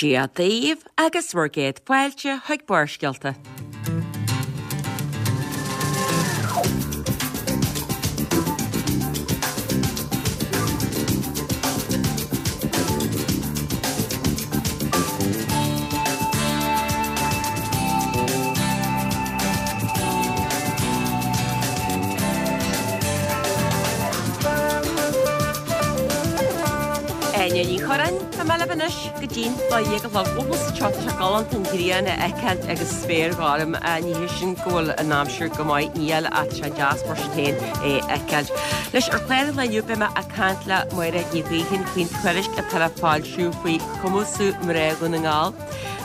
Dia daoibh agus bhur gcéad fáilte chuig Barrscéalta. Áine Ní Churráin, tá mé libh anois go dtí'n 12 a chlog. Bhuel, sa seo tá sé galánta an ghrian a fheiceáil agus spéir ghorm. Ní hé sin go bhfuil an aimsir go maith, níl, ach tá sé deas mar sin féin é a fheiceáil. Anois, ar chlár an lae inniu beidh mé ag caint le Máire Ní Ghaoithín faoin tuairisc atá le foilsiú faoi chumasú mná Dhún na nGall.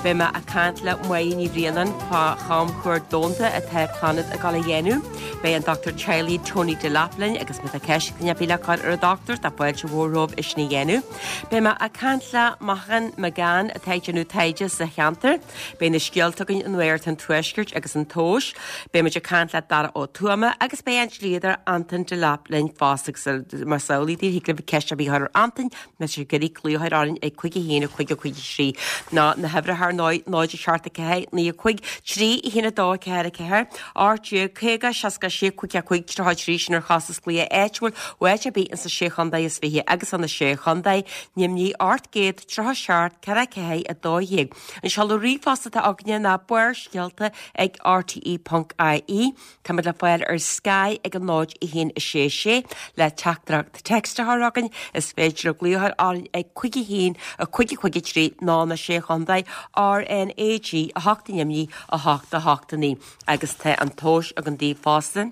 Beidh mé ag caint le Máire Ní Bhraonáin fá chamchuairt domhanda atá Clannad ag dul a dhéanamh. Beidh an dochtúir teaghlaigh Tony Delap linn agus má tá ceist ag duine ar bith le cur ar an dochtúir, tá fáilte mhór romhaibh é sin a dhéanamh. Beidh mé ag caint le Machan McGann atá ag déanamh taighde sa cheantar. Beidh na scéalta againn ó Nuacht an Tuaiscirt agus an Tomhas. Beidh muid ag caint le Dara Ó Tuama agus beidh an dlíodóir Antain Delap linn fosta agus más amhlaidh daoibh thig libh ceist ar bith a chur ar Antain Más ag iarraidh glaoch a chur orainn ag 5 1 5 5 3 ná na huimhreacha ar ndóigh 0 7 4 9 5 3 1 2 4 4 18 50 66 5 5 33 sin ar chostas glaoch áitiúil ó áit ar bith insa Sé Chontae is Fiche agus ó na Sé Chontae Nimhní 837 4 4 12. An seoladh ríomhphost atá againne ná barrscéalta ag rte.ie. Táimid le fáil ar Sky ag a 0 1 6 6 le teachtaireacht text a chur chugainn. Is féidir libh glaoch a chur orainn ag 5 1 5 5 3 nó na Sé Chontae RnaG 8 i nDoimní 8 8 9 agus tá an tomhas againn daoibh fosta.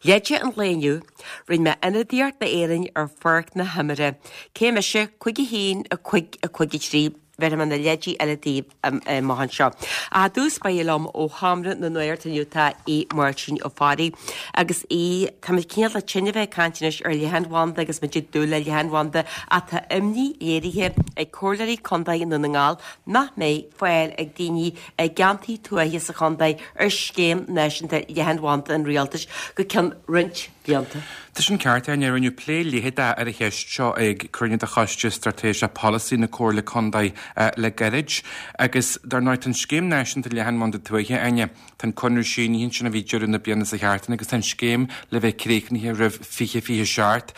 Leide an lae inniu, Rinne mé ionadaíocht d'Éirinn ar pháirc na himeartha. Cé mise 5 1 5 5 3. Bhéarfaidh mé na leidí eile daoibh amach anseo. Ach i dtús báire liom ó Sheomra na Nuachta inniu tá Aodh Máirtín Ó Fearraigh. Agus Aodh, táimid cineál de tinn a bheith ag caint anois ar leathanbhanda agus muid ag dúil le leathanbhanda ach tá imní léirithe ag Comhairleoirí Contae i nDún na nGall nach mbeidh fáil ag daoine i gceantair tuaithe sa chontae ar scéim náisiúnta leathanbhanda an rialtais go ceann roinnt blianta. Tá sin ceart, Áine. Rinneadh plé leitheadach ar an cheist seo ag cruinniú de Choiste Straitéiseach Polasaí na Comhairle Contae le gairid. Agus, dar ndóigh, tá an Scéim Náisiúnta Leathanbhanda Tuaithe, Áine, tá an conradh sínithe ansin a bhí deireadh na bliana seo thart agus tá an scéim le bheith críochnaithe roimh 2027.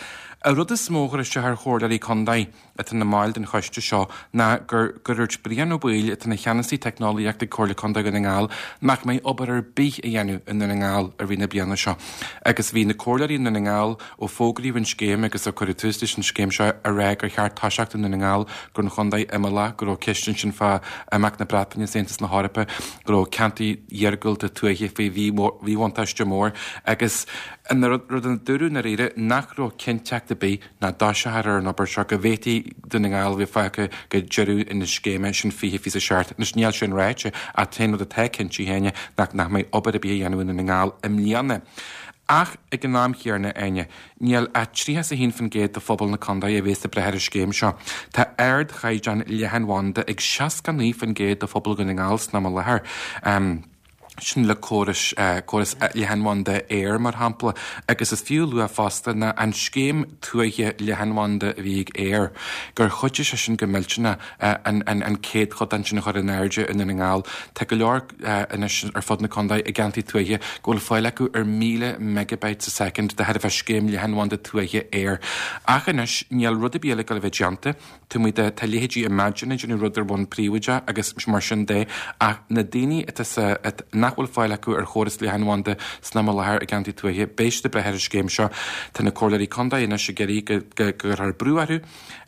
An rud is mó a chuir isteach ar Chomhairleoirí Contae, atá ina mbaill den choiste seo ná gur gur dhúirt Brian Ó Baoill, atá ina cheannasaí teicneolaíochta ag Comhairle Contae Dhún na nGall, nach mbeidh obair ar bith á dhéanamh i nDún na nGall i rith na bliana seo. Agus bhí na comhairleoirí i nDún na nGall, ó fógraíodh an scéim agus ó cuireadh tús leis an scéim seo, ag rá gur cheart toiseacht i nDún na nGall, gur an chontae imeallach, go raibh ceist ansin fá imeacht na Breataine as Aontas na hEorpa, go raibh ceantair iargúlta tuaithe faoi mhíbhuntáiste mór agus an rud a dúradh i ndáiríre nach raibh cinnteacht ar bith nach dtoiseofar ar an obair seo, go bhféadfaí Dún na nGall a bheith fágtha go deireadh na scéime sin 2027. Anois níl sin ráite ach an t-aon rud atá cinnte, Áine, ná nach mbeidh obair ar bith á dhéanamh i nDún na nGall i mbliana. Ach ag an am chéanna, Áine, níl ach 31% de phobal na contae a bhéas ag brath ar an scéim seo. Tá ardchaighdeán leathanbhanda ag 69% de phobal Dhún na nGall san am i láthair. sin le córais, córas leathanbhanda Eir mar shampla, agus is fiú a lua fosta ná an scéim tuaithe leathanbhanda a bhí ag Eir, gur chuidigh sé sin go millteanach an an céadchodán sin a chur in airde i Ndún na nGall. Tá go leor anois ar fud na contae i gceantair tuaithe go bhfuil fáil acu ar 1,000 megabyte sa soicind de thairbhe scéim leathanbhanda tuaithe Eir. Ach anois níl rud ar bith eile ag dul a bheith déanta. Tá muid, tá leithéidí Imagine ag déanamh rud ar bhonn príobháideach agus mar sin de, ach na daoine atá sa, nach bhfuil fáil acu ar chóras leathanbhanda san am i láthair i gceantair tuaithe, beidh siad ag brath ar an scéim seo. Tá na comhairleoirí contae anois ag iarraidh go, go gcuirfear brú orthu.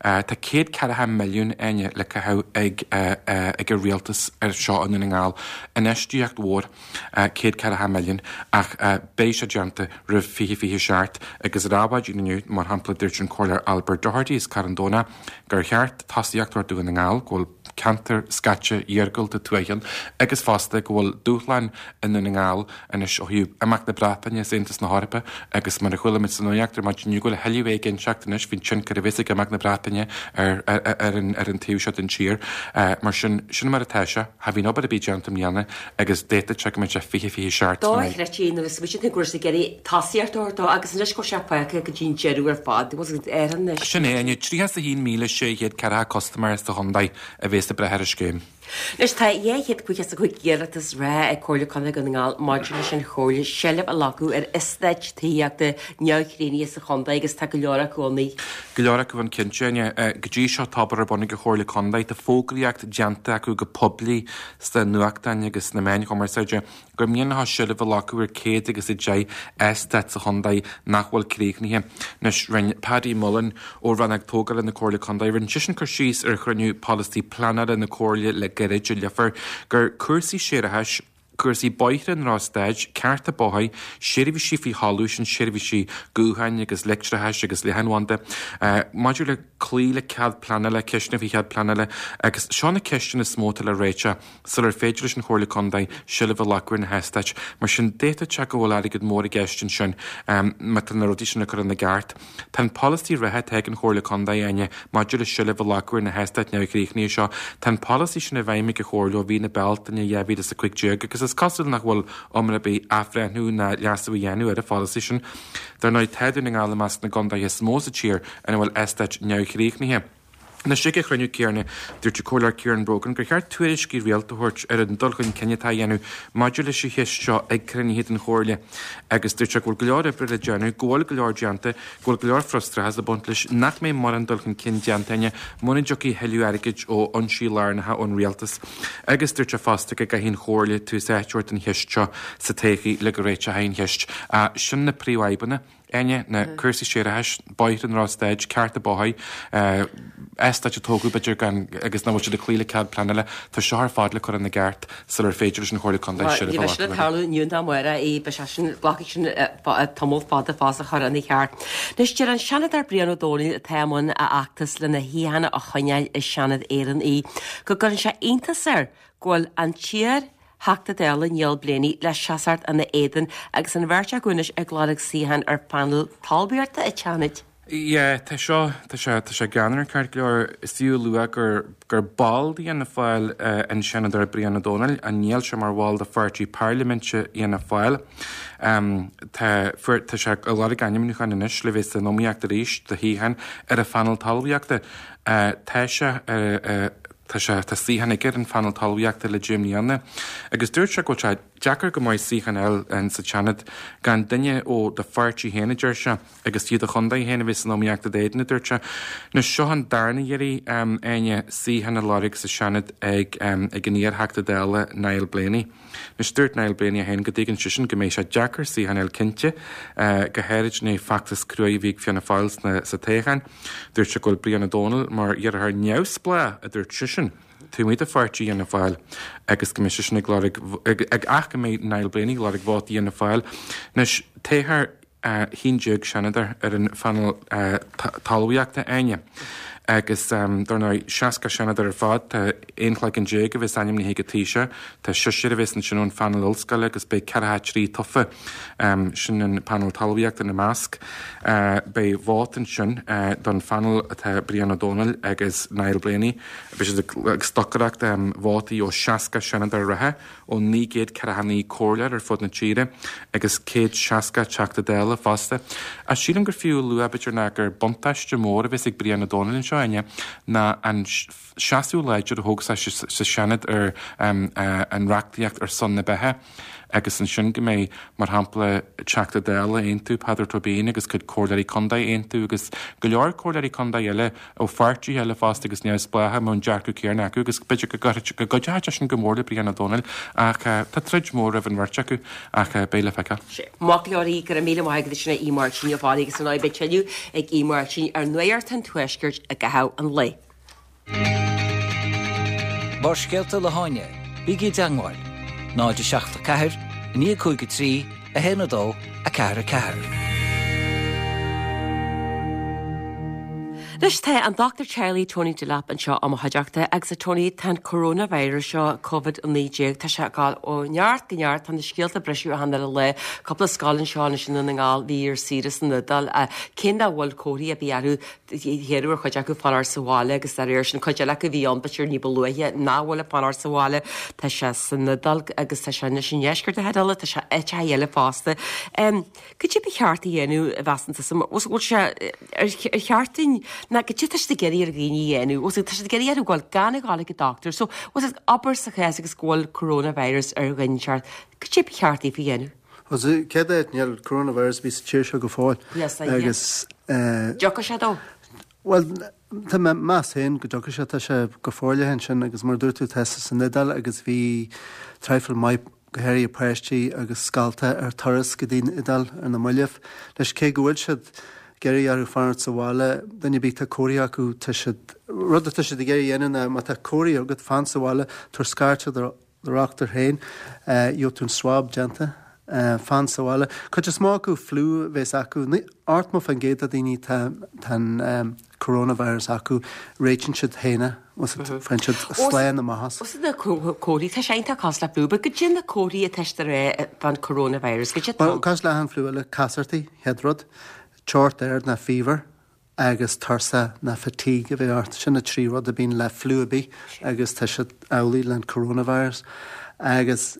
Tá 140 milliún, Áine, le caitheamh ag, ag an rialtas ar seo i nDún na nGall. Infheistíocht mhór. 140 milliún, ach beidh sé déanta roimh 2027 agus ar maidin inniu, mar shampla, dúirt an Comhairleoir Albert Doherty as Carn Domhnach gur cheart tosaíocht a thabhairt do Dhún na nGall, go bhfuil ceantar scaite iargúlta tuaithe ann agus fosta go bhfuil dúshláin i nDún na nGall anois ó thaobh imeacht na Breataine as Aontas na hEorpa agus mar a chuala muid sa nuacht ar maidin inniu go bhfuil a thuilleadh éiginnteacht anois faoin tionchar a bheas ag imeacht na Breataine ar ar an taobh seo den tír. Mar sin, sin mar atá sé. Cha bhíonn obair ar bith déanta i mbliana agus d'fhéadfadh sé go mbeadh sé 2027 sna. Dochreidte nuair a smaoitíonn tú go raibh siad ag iarraidh tosaíocht a thabhairt dó agus anois go bhfuil sé fágtha go dtí an deireadh ar fad. Bhfuil a fhios agat ar anois. Sin é, Áine, 31,600 ceathracha custaiméir sa chontae a bhéas. bheas ag brath ar an scéim. Anois tá 255 iarratas reatha ag Comhairle Contae Dhún na nGall maidir leis an Chomhairle seilbh a ghlacadh ar eastáit tithíochta neamhchríochnaithe sa chontae agus tá go leor acu ann. Go leor acu ann cinnte. Go dtí seo tá obair ar bun ag an Chomhairle Contae. Tá fógraíocht déanta acu go poiblí sna nuachtáin agus sna meáin chumarsáide gur mian leo seilbh a ghlacadh ar 110 eastát sa chontae nach bhfuil críochnaithe. Anois, rinne Paddy Mullen ó Rannóg Tógála na Comhairle Contae, rinne seisean cur síos ar chruinniú polasaí pleanála na Comhairle le gairid i Leifear gur cúrsaí séarachais, cúrsaí bóithre i ndrochstaid, cearta bóthair, seirbhísí faoi thalamh, sin seirbhísí gutháin agus leictreachais agus leathanbhanda, maidir le cloí le cead pleanála, ceisteanna faoi chead pleanála agus seo na ceisteanna is mó atá le réiteach. sular féidir leis an Chomhairle Contae seilbh a ghlacadh ar na heastáit. Mar sin, d'fhéadfadh sé go bhfuil airgead mór i gceist ansin má tá na rudaí sin le cur ina gceart. Tá an polasaí reatha atá ag an Chomhairle Contae, Áine, maidir le seilbh a ghlacadh ar na heastáit neamhchríochnaithe seo, tá an polasaí sin i bhfeidhm ag an Chomhairle ó mhí na Bealtaine 2015 agus is cosúil nach bhfuil iomrá ar bith athbhreithniú ná leasú a dhéanamh ar an pholasaí sin. Dar ndóigh, tá Dún na nGall i measc na gcontaetha is mó sa tír ina bhfuil eastáit neamhchríochnaithe. Anois, ag an chruinniú céanna, dúirt an Comhairleoir Ciaran Brogan gur cheart tuairiscí rialta a thabhairt ar an dul chun cinn atá á dhéanamh maidir leis an cheist seo ag cruinnithe den Chomhairle agus dúirt sé go bhfuil go leor oibre le déanamh, go bhfuil go leor déanta, go bhfuil go leor frustrachas ag baint leis, nach mbeidh mórán dul chun cinn déanta againne muna dtiocfaidh thuilleadh airgid ó fhoinsí lárnacha ón Rialtas. Agus dúirt sé fosta go gcaithfidh an Chomhairle tús áite a thabhairt don cheist seo sa todhchaí le go réiteofaí an cheist. Sin na príomhfhadhbanna. Áine, na cúrsaí séarachais, bóithre i ndrochstaid, cearta bóthair, eastáit a tógadh b'fhéidir gan agus nach bhfuil siad ag cloí le cead pleanála, tá seo ar fad le cur ina gceart sular féidir leis an Chomhairle Contae seilbh a Ní bheidh sin ag tarlú inniu ná amárach, beidh sé sin, glacfaidh sin tamall fada fós a chur ina cheart. Anois deir an Seanadóir Brian Ó Domhnaill atá i mbun a fheachtas lena shuíochán a choinneáil i Seanad Éireann í, go gcuireann sé iontas air go bhfuil an t-iar Theachta Dála Niall Blaney le seasacht ina éadan agus an bheirt acu anois ag lorg suíochán ar phainéal talmhaíochta an tSeanaid. Yeah, tá seo, tá sé, tá sé greannmhar ceart go leor. Is fiú a lua gur, gur ball d'Fhianna Fáil an Seanadóir Brian Ó Domhnaill, ach níl sé mar bhall de pháirtí pairliminte Fhianna Fáil. Tá, fuair, tá sé ag lorg ainmniúcháin anois le bheith san iomaíocht arís do shuíochán ar an phainéal talmhaíochta. Tá sé ar, Tá sé, tá suíochán aige ar an phainéal talmhaíochta le 10 mbliana agus dúirt sé go bhfuil sé deacair go maith suíochán a fháil sa tSeanad gan duine ó do pháirtí féin, a deir sé, agus fiú do chontae féin a bheith san iomaíocht i d'éadan, a dúirt sé. Anois, seo an darna iarraidh, Áine, suíochán a lorg sa Seanad ag ag an iar-Theachta Dála Niall Blaney. Anois, dúirt Niall Blaney é féin go dtuigeann seisean go mbeidh sé deacair suíochán a fháil cinnte, go háirid i ndiaidh feachtas cruaidh a bhí ag Fianna Fáil sa toghchán. Dúirt sé go bhfuil Brian Ó Domhnaill mar iarrthóir neamhspleách, a dúirt seisean, taobh amuigh de pháirtí Fhianna Fáil agus go mbeidh seisean ag lorg, ach go mbeidh Niall Blaney ag lorg vótaí Fhianna Fáil. Anois, toghfar 11 seanadóir ar an phainéal talmhaíochta, Áine, agus dar ndóigh 60 seanadóir ar fad, tá 11 chloigeann a bheas ainmnithe ag an Taoiseach, tá seisear a bheas ansin ón phainéal ollscoile agus beidh 43 tofa, sin an painéal talmhaíochta ina measc. Beidh vóta ansin don phainéal atá Brian Ó Domhnaill agus Niall Blaney, beidh siad ag stocaireacht vótaí ó 60 seanadóir reatha. ó 949 comhairleoir ar fud na tíre agus 160 Teachta Dála fosta. Ach sílim gur fiú a lua, b'fhéidir, ná gur buntáiste mór a bheas ag Brian Ó Domhnaill anseo, Áine, ná an seasamh láidir a thóg sé sa Seanad ar an reachtaíocht ar son na beatha agus ansin go mbeidh, mar shampla, Teachta Dála Aontú, Peadar Tóibín agus cuid comhairleoirí contae Aontú agus go leor comhairleoirí contae eile ó pháirtithe eile fosta agus neamhspleácha, a mbeadh an dearcadh céanna acu agus b'fhéidir go gcuideoidh sé sin go mór le Brian Ó Domhnaill ach tá troid mhór roimh an bheirt acu ach beidh le feiceáil. Maith go leor, go raibh míle maith agat as sin a Mháirtín Uí Fhearraigh agus ar ndóigh beidh tuilleadh ag Aodh Máirtín ar Nuacht an Tuaiscirt i gcaitheamh an lae. Barrscéalta le hÁine, bígí i dteangmháil, 0 7 4 9 5 3 1 2 4 4. Anois tá an Dr Teaghlaigh Tony Delap anseo i mo chuideachta agus a Tony tá an coronavirus seo, Covid-19, tá sé ag dul ó neart go neart, tá na scéalta ag briseadh achan uile lá, cúpla scoil anseo anois i nDún na nGall, bhí ar saoire san Iodáil, cé nach bhfuil comharthaí ar bith orthu, Iarradh ar chuid acu fanacht sa bhaile agus dá réir sin cuid eile acu a bhí ann b'fhéidir ní ba luaithe nach bhfuil ag fanacht sa bhaile. Tá sé san Iodáil agus tá sé anois i ndeisceart na hIodáile, tá sé áiteacha eile fosta. Cad é ba cheart a dhéanamh a mheasann tusa? Bhfuil sé ar cheart dúinn? Ná goidé tá siad ag iarraidh ar dhaoine a dhéanamh, bhfuil tá siad ag iarraidh orthu gabháil gan a ghabháil ag an dochtúir. So, bhfuil fhios abair sa chás agus go bhfuil coronavirus ar dhuine inteacht, goidé ba cheart daofa a dhéanamh? Bhuel, sa chéad áit, níl coronavirus ar bith sa tír seo go fóill. Yes, I Agus, eh, Dtiocfaidh sé dó? Bhuel, tá mé ag meas féin go dtiocfaidh sé, tá sé go forleathan ansin agus mar a dúirt tú tá sé san Iodáil agus bhí traidhfil maith go háirithe páistí agus scolta ar turas go dtí an Iodáil ar na mallaibh. Anois cé go bhfuil siad ag iarraidh orthu fanacht sa bhaile, duine ar bith tá comharthaí acu, tá siad, rud atá siad ag iarraidh a dhéanamh ná má tá comharthaí agat, fan sa bhaile, tabhair scairt ar do dhochtúir féin, gheobhaidh tú an swab déanta, fan sa bhaile. Cuid is mó acu fliú a bhéas acu, 80% de daoine tá an coronavirus acu, réitíonn siad féin é, faigheann siad slán amach as. Os na comharthaí, tá sé iontach cosúil le fliú, but goidé na comharthaí atá siad ag rá fán coronavirus, goidé atá ann? Cosúil le achan fliú eile, casartaí, chéad rud, teocht ard ná fever, agus tuirse ná fatigue a bheith ort. Sin na trí rud a bíonn le fliú ar bith agus tá siad amhlaidh le an coronavirus. Agus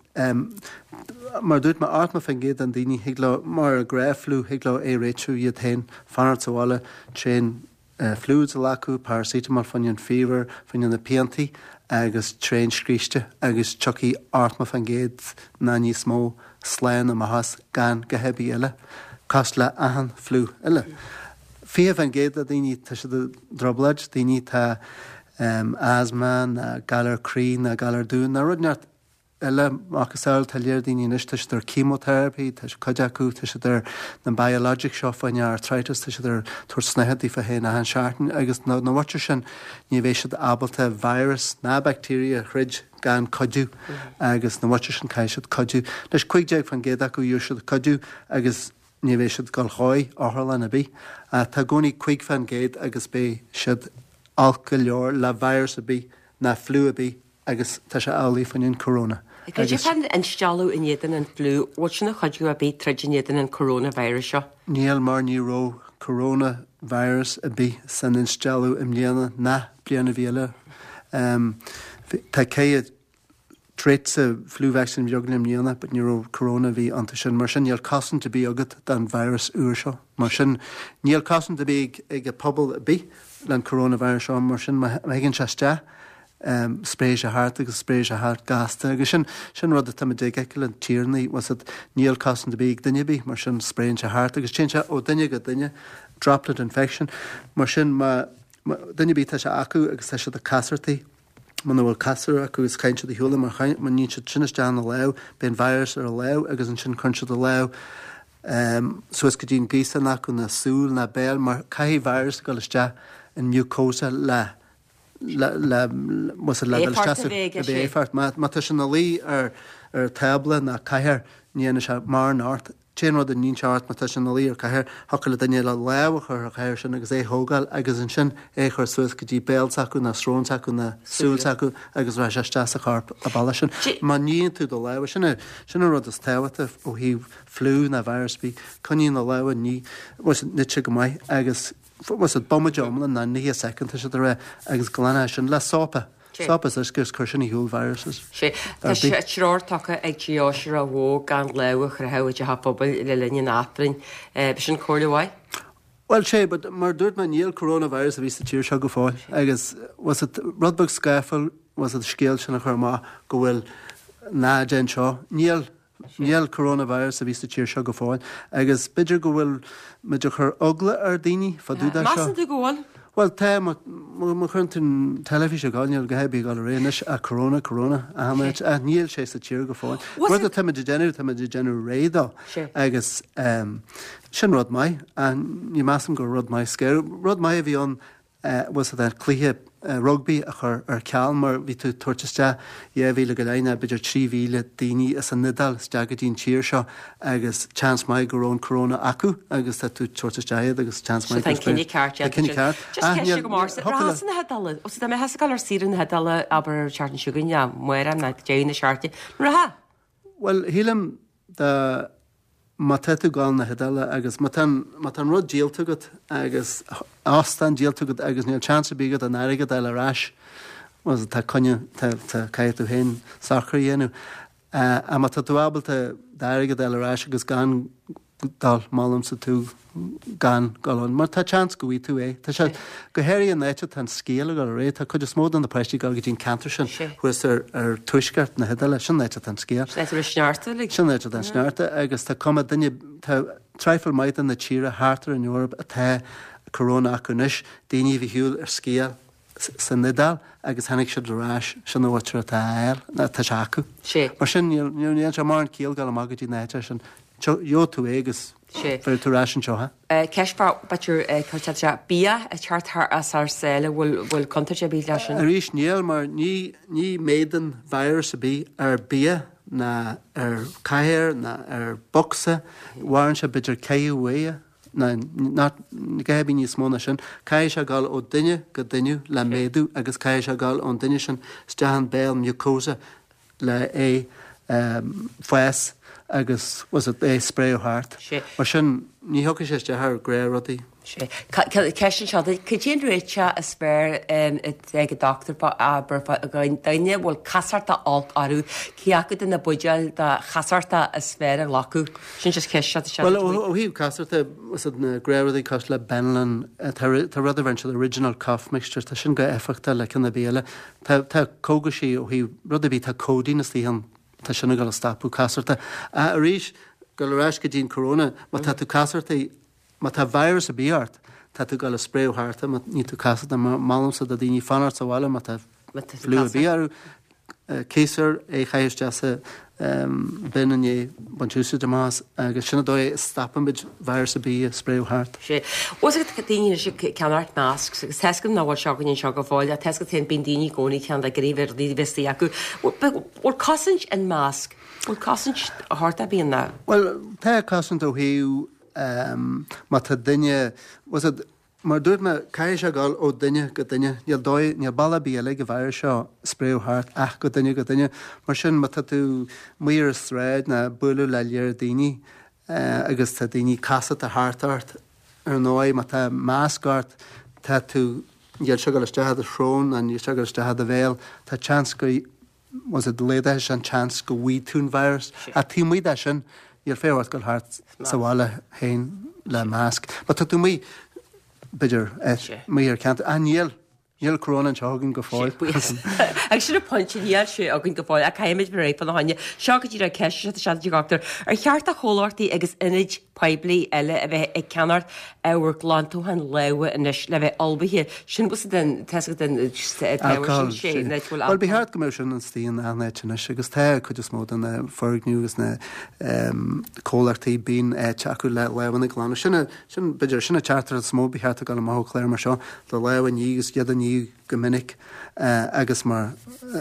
mar a dúirt mé, 80% den daoine thig leo, mar an gnáth-fhliú, thig leo é réitiú iad féin, fanacht sa bhaile, tréan fluids a ghlacadh, paracetamol fá choinne an fever, fá choinne na piantaí agus tréan scríste agus tiocfaidh 80% ná níos mó slán amach as gan a dhath ar bith eile, cosúil le achan fliú eile. 20% de daoine, tá siad i dtrioblóid, daoine atá asthma ná galar croí ná galar dubh ná rud inteacht eile macasamhail, tá léir daoine anois, tá siad ar chemotherapy, tá cuid acu, tá siad ar na biologics seo fá choinne arthritis, tá siad ar tabhairt snáithe daofa féin achan seachtain agus na mhuintir sin ní bheidh siad ábalta virus ná bacteria a throid gan cuidiú agus na mhuintir sin caithfidh siad cuidiú. Anois 15% acu gheobhaidh siad cuidiú agus ní bheidh siad ag dul chuig otharlann ar bith. Ach tá i gcónaí 5% agus beidh siad olc go leor le virus ar bith ná fliú ar bith agus tá sé amhlaidh fá choinne an corona. Goidé fán instealladh in éadan an fliú, bhfuil sin ag cuidiú ar bith troid in éadan an coronavirus seo? Níl mar ní raibh corona virus ar bith san instealladh i mbliana ná bliain ar bith eile. Tá ceithre trait sa flu vaccine a bhí againn i mbliana but ní raibh corona ar bith iontu sin. Mar sin níl cosaint ar bith agat don virus úr seo. Mar sin níl cosaint ar bith ag an pobal ar bith le an coronavirus seo. Mar sin má thigeann sé isteach spréifidh sé thart agus spréifidh sé thart gasta agus sin sin rud atá muid ag feiceáil an tír ní was it níl cosaint ar bith ag duine ar bith mar sin spréann sé thart agus téann sé ó duine go duine droplet infection mar sin má duine ar bith tá sé acu agus tá siad ag casartaí muna bhfuil casúr acu agus caitheann siad a shiúl mar má níonn siad sin isteach ina lámh, beidh an virus ar a lámh agus ansin cuireann siad a lámh suas go dtí an gaosán acu ná súil ná béal mar caithfidh virus a dhul isteach in mucosa le le le le dul isteach sa éifeacht. Má tá sé ina luí ar ar tábla ná cathaoir ní dhéanfaidh sé mórán ort. T-aon rud a níonn sé ort má tá sé ina luí ar cathaoir, thiocfadh le duine eile lámh a chur ar chathaoir sin agus é a thógáil agus ansin é a chur suas go dtí béal s'acu ná srón s'acu ná súil s'acu agus rachaidh sé isteach sa chorp an bealach sin. Má níonn tú do lámha, sin é, sin an rud is tábhachtaí ó thaobh fliú ná virus ar bith, coinnigh na lámha ní, nite go maith agus bhuel bomaite iomlán ná 90 soicind tá siad ag rá agus glan é sin le sópa. Sópa is uisce is cuir sin ar shiúl viruses. Sea, tá treoir tugtha ag Dia Oisire Mhó gan lámh a chroitheadh i dteach an phobail le linn an Aifrinn. B'shin comhairle mhaith? Bhuel, sea, but mar a dúirt mé, níl coronavirus ar bith sa tír seo go fóill agus was it rud beag scáfáil was it scéal sin a chur amach go bhfuil ná déan seo. Níl. Níl coronavirus ar bith sa tír seo go fóill agus b'fhéidir go bhfuil muid ag cur eagla ar daoine fá dtaobh de seo. Measann tú go bhfuil? Bhuel tá, má chuireann tú an teilifís ag dul, níl a dhath ar bith ag dul ar aghaidh anois ach corona, corona, achan áit, ach níl sé sa tír go fóill. Rud atá muid ag déanamh, tá muid ag déanamh réidh dó agus sin rud maith ach ní measaim gur rud maith scare. Rud maith a bhí ann was it an cluiche rugbaí a chur ar ceal mar bhí tú ag tabhairt isteach 2,000 go leith ná b'fhéidir 3,000 daoine as an Iodáil isteach go dtí an tír seo agus seans maith go raibh an corona acu agus tá tú ag tabhairt isteach iad agus seans maith go raibh. So tá an cinneadh ceart déanta. Tá cinneadh ceart. Just ceist agam ortsa, rachfá na hIodáile, ó so dá mbeifeá ag gabháil ar saoire na hIodáile abair an tseachtain seo chugainn, amárach nó deireadh na seachtaine, an rachfá? Bhuel, shílim dá má tá tú ag gabháil na hIodáile agus má tá an, má tá an rud díolta agat agus óstán díolta agat agus níl chance ar bith agat an airgead a fháil ar ais, bhuel tá coinne, tá, tá, caithfidh tú féin socrú a dhéanamh. Ach má tá tú ábalta d'airgead a fháil ar ais agus gan. dul, molaimse tú gan dul ann, mar tá seans go bhfaighidh tú é. Tá sé, go háirithe an áit atá an scéal ag dul ar aghaidh, tá cuid is mó de na páistí ag dul go dtí an ceantar sin thuas ar ar tuaisceart na hIodáile, sin an áit atá an scéal. Sin áit a raibh sneachta uilig. Sin an áit atá an sneachta agus tá cuma duine, tá traidhfil maith de na tíre thart ar an Eoraip atá corona acu anois, daoine a bhí ar shiúl ar sciáil san Iodáil agus tháinig siad ar ais, sin an áit atá a fháil, atá sé acu. Mar sin, níl sé mórán ciall dul amach go dtí na háite sin. Gheobhaidh tú é agus bheir tú ar ais anseo é. Ceist b'fhéidir cuirtear sé bia ag teacht thar as thar sáile, bhfuil bhfuil contúirt ar bith leis sin? Arís níl mar ní ní méadaíonn virus ar bith ar bia ná ar chathaoir ná ar bocsa, mhaireann sé b'fhéidir caitheamh uaidh ná ná go bith níos mó ná sin. Caithfidh sé dul ó duine go duine le méadú agus caithfidh sé dul ón duine sin isteach an béal mucosa le é fás agus was it é spréadh thart. Mar sin ní thiocfaidh sé isteach ar ghnáthrudaí. Sea. Ceist anseo duit, cad é an réiteach is fearr ag an dochtúir abair duine a bhfuil casachtach olc orthu, cé acu de na buidéil de chasachtach is fearr a ghlacadh? Sin just ceist seo seo. Bhuel ó thaobh casachta, was it na gnáthrudaí cosúil le Benylin, tá rud a bheireann siad original cough mixture, tá sin go éifeachtach le ceann ar bith eile. Tá, tá cógaisí ó thaobh rud ar bith, tá codeine istigh ann, tá sin ag dul a stopadh casachta. Ach arís, dul ar ais go dtí an corona, má tá tú casachtaí, má tá virus ar bith ort, tá tú ag dul a spréadh thart, má níl tú casachta, molaimse do daoine fanacht sa bhaile má tá fliú ar bith orthu. Ciarsúr é a chaitheamh isteach sa bin i ndiaidh baint úsáid amach as agus sin an dóigh a stopaimid virus ar bith ag spréadh thart. Sea. Bhfuil fhios agat daoine anois ag ceannacht masks agus tá fhios agam nach bhfuil seo againn anseo go fóill ach tá fhios agat féin bíonn daoine i gcónaí ceann ag iarraidh rudaí a bheith istigh acu. Bhfuil cosaint in masc? Bhfuil cosaint thart ar bith ann? Bhuel, tá cosaint ó thaobh má tá duine, bhfuil fhios agat, Mar a dúirt mé, caithfidh sé dul ó duine go duine. Níl dóigh, níl bealach ar bith eile ag an virus seo spréadh thart ach go duine go duine. Mar sin, má tá tú amuigh ar an sráid ná bualadh le léar daoine agus tá daoine casachta thart ort, ar ndóigh, má tá masc ort, tá tú, níl sé ag dul isteach i do shrón ná níl sé ag dul isteach i do bhéal, tá seans go, bhfuil fhios agat, laghdaithe sé an tseans go bhfaighidh tú an virus. Ach taobh amuigh de sin, níl feidhm ort dul thart sa bhaile féin le masc. Má tá tú amuigh, b'fhéidir, amuigh ar ceantar, ach níl, níl corona anseo againn go fóill. Agus sin an pointe, níl sé againn go fóill, ach caithfimid bheith réidh fána choinne. Seo go díreach ceist seo a dhochtúir. Ar cheart do chomhlachtaí agus ionaid poiblí eile a bheith ag ceannacht ábhar glantúcháin lámha anois le bheith ullmhaithe. Sin bhfuil den tá den Alcohol sin. Bhuel, ba cheart go mbeadh sin istigh in achan áit anois agus tá cuid is mó de na foirgnimh agus na comhlachtaí bíonn áit acu le lámhanna a ghlanadh. Sin, sin, b'fhéidir, sin an teachtaireacht is mó ba cheart a ghabháil amach ó chlár mar seo, do lámha a ní agus iad a ní go minic agus mar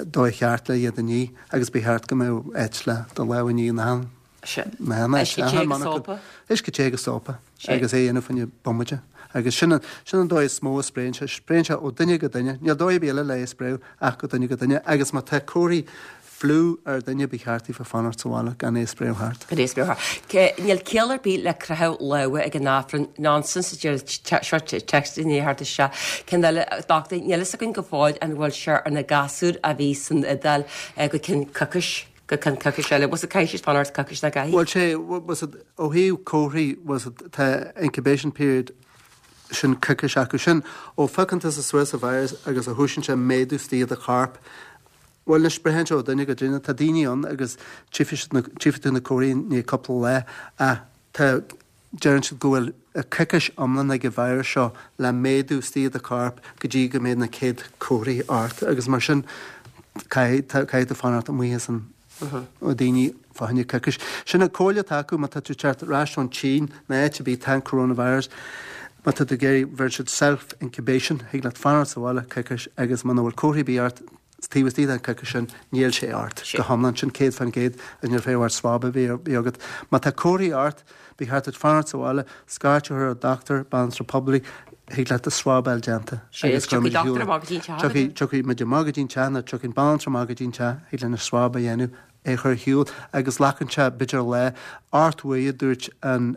dóigh cheart le iad a ní agus ba cheart go mbeadh áit le do lámha a ní in achan Uisce te agus sópa. Uisce te agus sópa agus é a dhéanamh fá choinne bomaite. Agus sin an, sin an dóigh is mó a spréann sé. Spréann sé ó duine go duine. Níl dóigh ar bith eile le é a spréadh ach go duine go duine. Agus má tá comharthaí fliú ar dhuine ba cheart daofa fanacht sa bhaile gan é a spréadh thart. Gan é a spréadh thart. Níl ciall ar bith le croitheadh lámha ag an Aifreann. Nonsense a deir seo text i ndiaidh theacht isteach. Ceann eile, dochtúir, níl fhios againn go fóill an bhfuil sé ar na gasúir a bhí san Iodáil go cionn coicís. go ceann coicís eile. Bhfuil fhios agat caithfidh siad fanacht coicís nach gcaithfidh? Bhuel sé, bhfuil fhios agat, ó thaobh comharthaí, bhfuil fhios agat, tá incubation period sin coicís acu. Sin ó phiocann tusa suas an virus agus a thosaíonn sé méadú istigh i do chorp. Bhuel anois braitheann sé ó duine go duine. Tá daoine ann agus tchífidh siad na, tchífidh tú na comharthaí i ndiaidh cúpla lá ach tá, Deireann siad go bhfuil coicís iomlán ag an virus seo le méadú istigh i do chorp go dtí go mbeidh na céad comharthaí ort agus mar sin caithfidh caithfidh tú fanacht amuigh as an ó daoine fá choinne coicís. Sin an comhairle atá acu má tá tú ag teacht ar ais ón tSín nó áit ar bith tá an coronavirus má tá tú ag iarraidh bheireann siad self incubation thig leat fanacht sa bhaile coicís agus muna bhfuil comharthaí ar bith ort Taobh istigh den choicís sin, níl sé ort go hiomlán, sin 100% agus níl feidhm ort swab a bheith agat. Má tá comharthaí ort, ba cheart duit fanacht sa bhaile, scairt a chur ar dochtúir, banaltra poiblí, thig leat do swab a fháil déanta agus cuirfidh muid ar shiúl. Tiocfaidh muid amach go dtí an teach nó tiocfaidh an banaltra amach go dtí an teach, thig linn an swab a dhéanamh. é a chur ar shiúl agus glacann sé b'fhéidir lá, 8 uair a dúirt an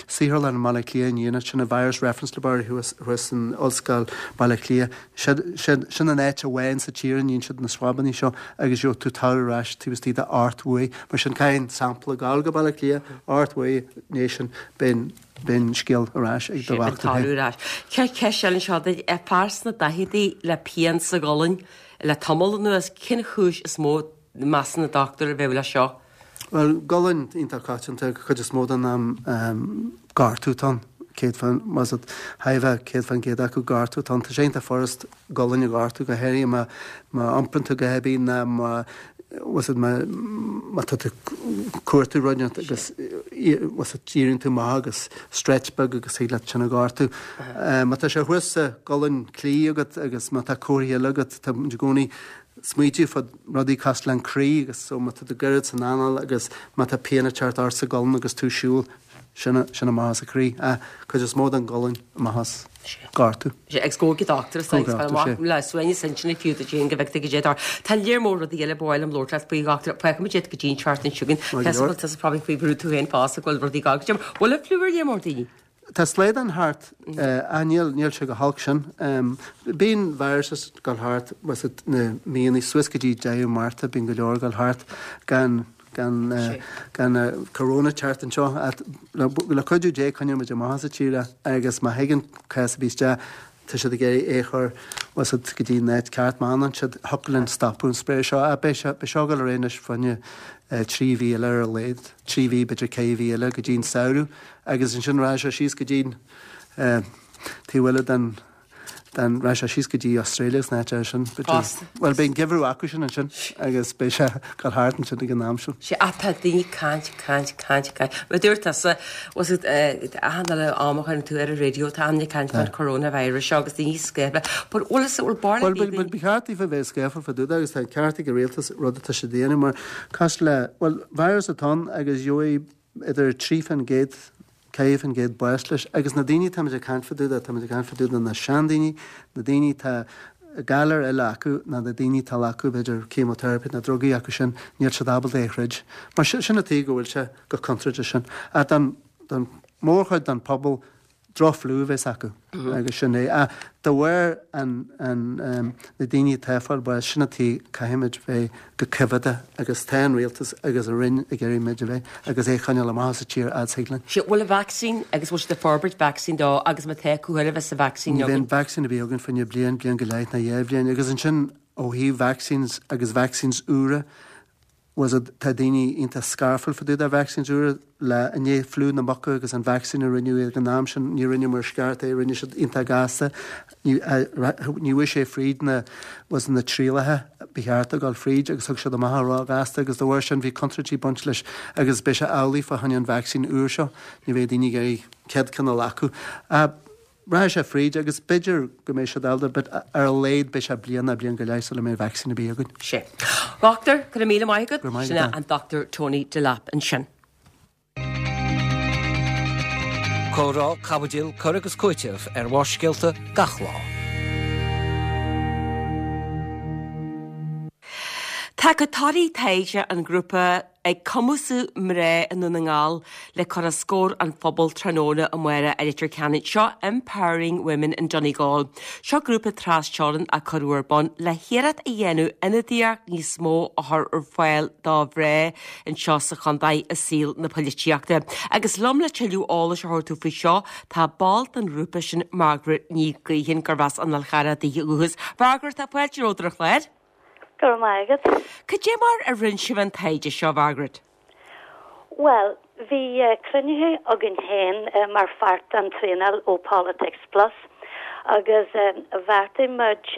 saotharlann i mBaile Átha Cliath inniu, sin an Virus Reference Laboratory thuas thuas in Ollscoil Baile Átha Cliath, sin sin an áit amháin sa tír a ndéanann siad na swabannaí seo agus gheobhaidh tú toradh ar ais taobh istigh de 8 uair. Mar sin caithfidh an sampla gabháil go Baile Átha Cliath, 8 uair ina dhiaidh sin beidh beidh an scéal ar ais ag do dhochtúir féin. Ar ais. Ceist eile anseo duit, fear sna daicheadaí le pian sa ghualainn le tamall anuas, cén chúis is mó measann an dochtúir a bheadh leis seo? Bhuel, gualainn iontach coitianta, cuid is mó den am gortú atá ann, 100 fán, más ea, thar a bheith 100% acu gortú atá ann. Tá sé iontach furast gualainn a ghortú, go háirithe má má iomparann tú a dhath ar bith ná má bhfuil fhios agat má má tá tú ag cuartú rud inteacht agus bhfuil fhios agat éiríonn tú amach agus stretch beag agus thig leat sin a ghortú. Má tá sé thuas sa ghualainn chlí agat agus má tá comharthaí eile agat, tá muid i gcónaí smaoitiú fá rudaí cosúil le an croí agus so má tá tú ag goirid san anáil agus má tá pian ag teacht ort sa ghualainn agus tú ag siúl, sin sin amach as an croí. Ach cuid is mó den ghualainn amach as gortú. Sea, agus go dtí dochtúir is dóigh, fáil amach le suaimhneas intinne fiú duit féin go bhfeicfidh tú goidé atá. Tá léar mór rudaí eile ba mhaith liom labhairt leat faoi, a dhochtúir. Fágfaidh muid iad go dtí an tseachtain seo chugainn. Tá fhios agam tusa probably faoi bhrú tú féin fosta go bhfuil rudaí ag gabháil go dtí. Bhfuil an fliú ar léar mór daoine? Tá slaghdán thart, ach níl, níl sé go holc sin. Bíonn viruses ag dul thart, bhfuil fhios agat, na míonna suas go dtí deireadh Márta, bíonn go leor ag dul thart gan, gan, gan corona teacht anseo. Ach le, le cuidiú Dé coinneoidh muid amach as an tír é agus má thigeann cás ar bith isteach, Tá siad ag iarraidh é a chur, bhfuil fhios agat, go dtí an áit ceart. Má fhanann siad, thiocfadh linn stopadh an spray seo. Ach beidh sé, beidh seo ag dul ar aghaidh anois fá choinne 3 mhí eile ar a laghad, 3 mhí, b'fhéidir 4 mhí eile go dtí an samhradh agus ansin rachaidh sé síos go dtí an taobh eile den, den, rachaidh sé síos go dtí Australia agus na háit eile sin. Fosta. Bhuel, beidh an geimhreadh acu sin ansin agus beidh sé ag dul thart ansin ag an am sin. Sea, ach tá daoine ag caint, caint, caint, caint. Mar a dúirt tusa, bhfuil fhios agat, achan uile am a chuireann tú ar an raidió, tá daoine ag caint fán coronavirus seo agus daoine scaofa. But bhfuil fhios, bhfuil barr le Bhuel, bhuel, ba cheart daofa bheith scaofa fá dtaobh de agus tá an ceart ag an rialtas rud atá siad a dhéanamh mar cosúil le, bhuel, virus atá ann agus gheobhaidh idir 3%, 4% bás leis agus na daoine táimid ag caint fá dtaobh de, táimid ag caint fá dtaobh de na seandaoine, na daoine atá galar eile acu ná na daoine atá ag glacadh b'fhéidir chemotherapy na drugaí acu sin, níl siad ábalta é a throid. Mar sin, sin an tuige go bhfuil sé chomh contúirteach sin. Ach don, don mhórchuid den phobal, droch-fhliú a bheas acu agus sin é. Ach de bharr an, an, na daoine atá ag fáil bháis, sin an tuige caithfimid bheith go coimheadach agus tá an rialtas agus an Roinn ag iarraidh muid a bheith agus é a choinneáil amach as an tír fhad is thig linn. Sea, bhfuil an vacsaín agus bhfuil siad ag forbairt vacsaín dó agus má tá, cá huair a bheas an vacsaín Ní bheidh an vacsaín ar bith againn fá choinne bliain, bliain go leith ná dhá bhliain agus ansin ó thaobh vaccines agus vaccines úra, bhfuil fhios agat, tá daoine iontach scarfúil fá dtaobh de vaccines úra le i ndiaidh fliú na muca agus an vaccine a rinneadh ag an am sin, ní rinneadh mar is ceart é, rinne siad iontach gasta, ní ní bhfuair sé fríd na bhfuil fhios agat na trialacha ba cheart a dhul fríd agus thug siad amach ró-ghasta agus de bharr sin bhí contúirtí ag baint leis agus beidh sé amhlaidh fá choinne an vaccine úr seo, ní bheidh daoine ag iarraidh céad ceann a ghlacadh. Rachaidh sé fríd agus b'fhéidir go mbeidh siad ábalta but ar a laghad beidh sé bliain ná bliain go leith sula mbeidh vacsaín ar bith againn. Sea. Dhochtúir, go raibh míle maith agat. Go raibh maith agat. Sin é an Dr Tony Delap ansin. Comhrá, caibidil, cur agus cúiteamh ar Bharrscéalta gach lá. Tá torthaí taighde an ghrúpa ag cumasú mná i nDún na nGall le cur os comhair an phobail tráthnóna amárach i Leitir Ceanainn. Seo Empowering Women in Donegal. Seo grúpa tras-teorann a cuireadh ar bun le hiarracht a dhéanamh ionadaíocht níos mó a chur ar fáil do mhná anseo sa chontae i saol na poilitíochta. Agus liom le tuilleadh eolais a thabhairt faoi seo tá ball den ghrúpa sin Margaret Ní Ghaoithin gurb as an Fhál Charrach di ó dhúchas. Margaret, tá fáilte romhat ar an chlár. Go raibh maith agat. Cad é mar a rinne sibh an taighde seo, Mhargaret? Bhuel, bhí cruinnithe againn féin mar pháirt den traenáil ó Politics Plus agus bheartaigh muid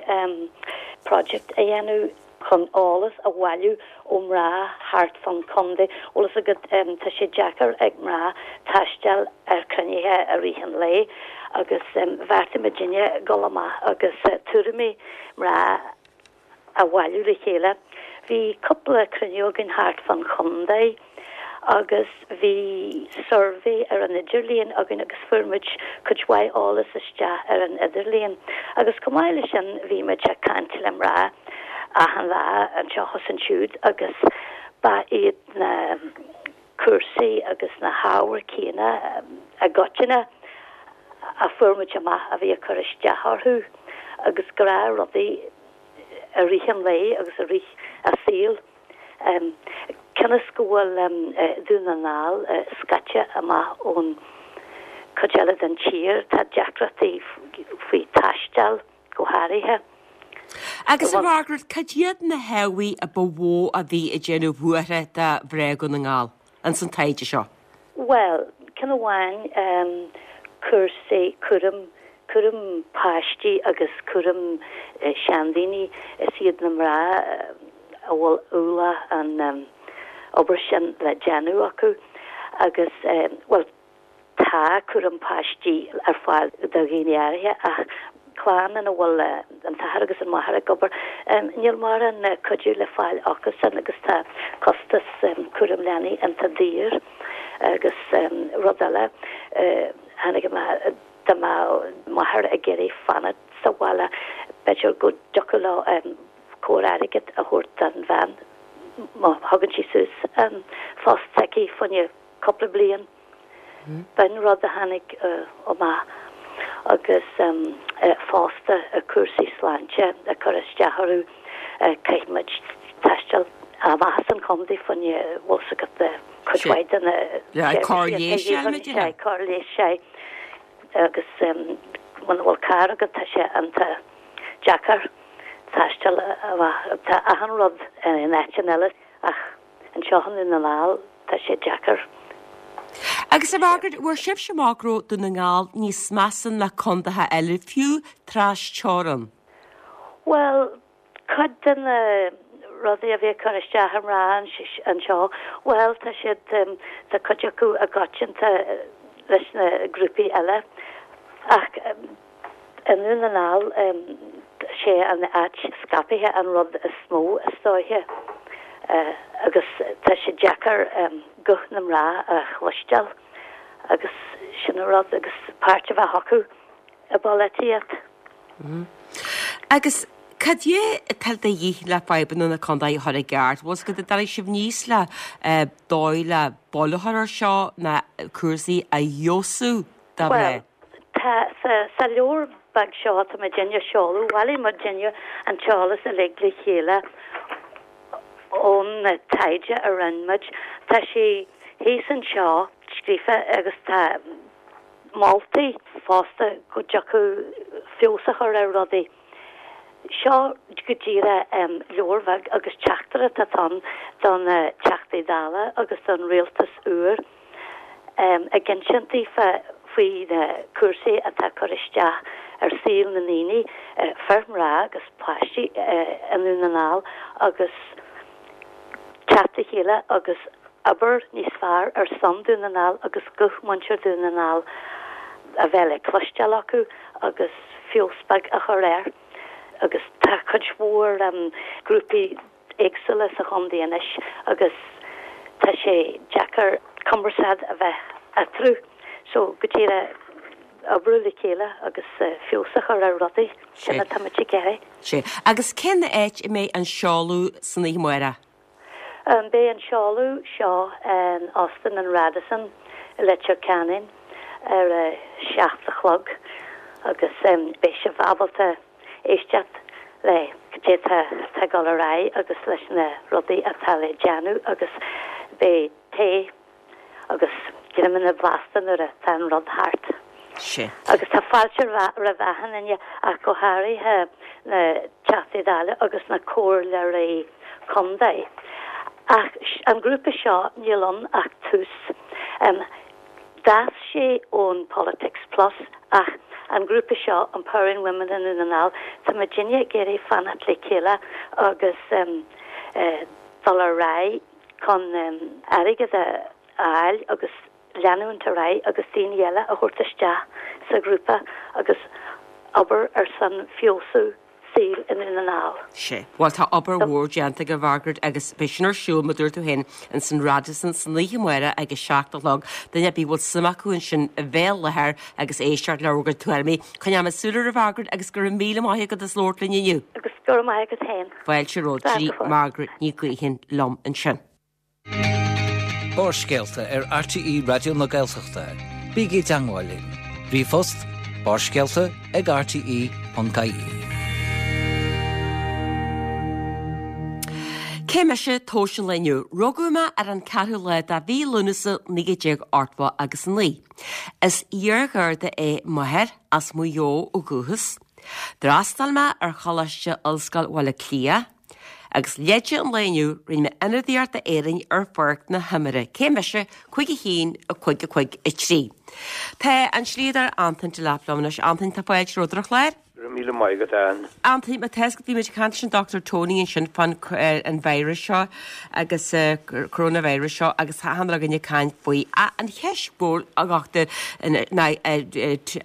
project a dhéanamh chun eolas a bhailiú ó mná thart fán chontae. Bhfuil fhios agat, tá sé deacair ag mná taisteal ar chruinnithe i rith an lae agus bheartaigh muidinne dul amach agus tuairimí mná a bhailiú le chéile. Bhí cúpla cruinniú againn thart fán chontae agus bhí suirbhé ar an idirlíon againn agus fuair muid cuid mhaith eolas isteach ar an idirlíon. Agus chomh maith leis sin bhí muid ag caint le mná achan lá anseo is ansiúd agus. Ba iad na cúrsaí agus na hábhair céanna i gcoitinne a fuair muid amach a bhí ag cur isteach orthu agus gnáthrudaí i rith an lae agus i rith a saoil. Cionn is go bhfuil Dún na nGall scaite amach ón chuid eile den tír, tá deacrachtaí faoi taisteal. go háirithe. Agus a Mhargaret, cad iad na hábhair a ba mhó a bhí ag déanamh buartha do mhná Dhún na nGall ins an taighde seo? Bhuel, ceann amháin, cúrsaí cúram, cúram páistí agus cúram seandaoine, is iad na mná a bhfuil ualach an obair sin le déanamh acu agus, bhuel, Tá cúram páistí ar fáil do dhaoine áirithe ach clann ina bhfuil an t-athair agus an mháthair ag obair, níl mórán cuidiú le fáil acusan agus tá costas cúram leanaí iontach daor. Agus rud eile, tháinig amach dá mbeadh máthair ag iarraidh fanacht sa bhaile, b'fhéidir go dtiocfadh leo cóir airgid a thabhairt don bhean má thugann sí suas an post s'aici fá choinne cúpla bliain. B'in rud a tháinig amach agus fosta cúrsaí sláinte ag cur isteach orthu. Caithfidh muid taisteal amach as an chontae fá choinne bhfuil 's agat cuid mhaith de na seirbhísí cóir leighis agus muna bhfuil carr agat tá sé iontach deacair taisteal amach. Tá achan rud in áiteanna eile ach Anseo i nDún na nGall, tá sé deacair. Agus a Mhargaret, bhfuair sibhse amach go raibh Dún na nGall níos measa ná condaetha eile, fiú tras-teorann? Bhuel, cuid de na rudaí a bhí ag cur isteach ar mhná anseo, bhuel, tá siad, tá cuid acu i gcoitianta leis na grúpaí eile ach, I nDún na nGall, sé an áit scaipthe an rud is mó is dóiche agus tá sé deacair guth na mná a chloisteáil agus sin an rud agus páirt a bheith acu i bpolaitíocht. Agus cad é atá de dhíth le fadhbanna na contae a chur i gceart? Bhfuil 's agat an dtarraing sibh níos le dóigh le buille a chur ar seo ná cúrsaí a fheabhsú do mhná? Tá, sa leabhar beag seo atá muidinne a sheoladh, bhailigh muidinne an t-eolas uilig le chéile ón taighde a rinne muid. Tá sé thíos anseo scríofa agus tá moltaí fosta go dtiocfadh feabhas a chur ar rudaí. Seo go díreach leabhar bheag agus teachtaireacht atá ann do na Teachtaí Dála agus don rialtas úr. ag insint daofa faoi na cúrsaí atá ag cur isteach ar saol na ndaoine, fir, mná agus páistí i nDún na nGall agus teacht le chéile agus obair níos fearr ar son Dún na nGall agus guth muintir Dhún na nGall a bheith le cloisteáil acu agus feabhas beag a chur air. Agus tá cuid mhór grúpaí éagsúla sa chontae anois agus tá sé deacair cumarsáid a bheith eatarthu so go díreach oibriú le chéile agus feabhas a chur ar rudaí, sin atá muid ag iarraidh. Sea. Agus cén áit a mbeidh an seoladh san oíche amárach? Beidh an seoladh seo in Óstán an Radisson i Leitir Ceanainn ar a 7 a chlog agus beidh sibh ábalta éisteacht le cad é atá ag dul ar aghaidh agus leis na rudaí atá le déanamh agus beidh tae agus greamanna blasta nuair atá an rud thart. Sea. Agus tá fáilte roimh achan duine ach go háirithe na Teachtaí Dála agus na Comhairleoirí Contae. Ach an grúpa seo níl ann ach tús. D'fhás sé ón Politics Plus ach an grúpa seo, Empowering Women in Dún na nGall, tá muidinne ag iarraidh fanacht le chéile agus dul ar aghaidh chun airgead a fháil agus leanúint ar aghaidh agus daoine eile a thabhairt isteach sa ghrúpa agus obair ar son feabhsú saoil i nDún na nGall. Sea. Bhuel, tá obair mhór déanta agaibh, a Mhargaret, agus beidh sin ar siúl, mar dúirt tú féin, ins an Radisson san oíche amárach ag a 7 a chlog. Duine ar bith a bhfuil suim acu ansin a bheith i láthair agus éisteacht le bhur gcuid tuairimí. Coinneoidh mé súil oraibh, a Mhargaret, agus go raibh míle maith agat as labhairt linn inniu. Agus go raibh maith agat féin. Fáilte romhat. Sin í Margaret Ní Ghaoithin liom ansin. Barrscéalta ar RTÉ Raidió na Gaeltachta. Bígí i dteangmháil linn. Ríomhphost, barrscéalta ag rte.ie. Cé mise tomhas an lae inniu? Rugadh mé ar an 4ú lá de mhí Lúnasa 1989 agus 9. Is iar-gharda é m'athair, as Maigh Eo ó dhúchas. D'fhreastail mé ar Choláiste Ollscoil Bhaile Átha Cliath. Agus leide an lae inniu, rinne mé ionadaíocht d'Éirinn ar pháirc na himeartha. Cé mise? 5 1 5 5 3. Tá an slíodóir Antoin Delap liom anois. Antoin, tá fáilte romhat ar an chlár. Go raibh míle maith agat, Ann. Antoin, má tá fhios agat, bhí muid ag caint leis an Dr Tony ansin fán an virus seo agus coronavirus seo agus tá achan duine againn ag caint faoi. An cheist mhór, a dhochtúir, ná,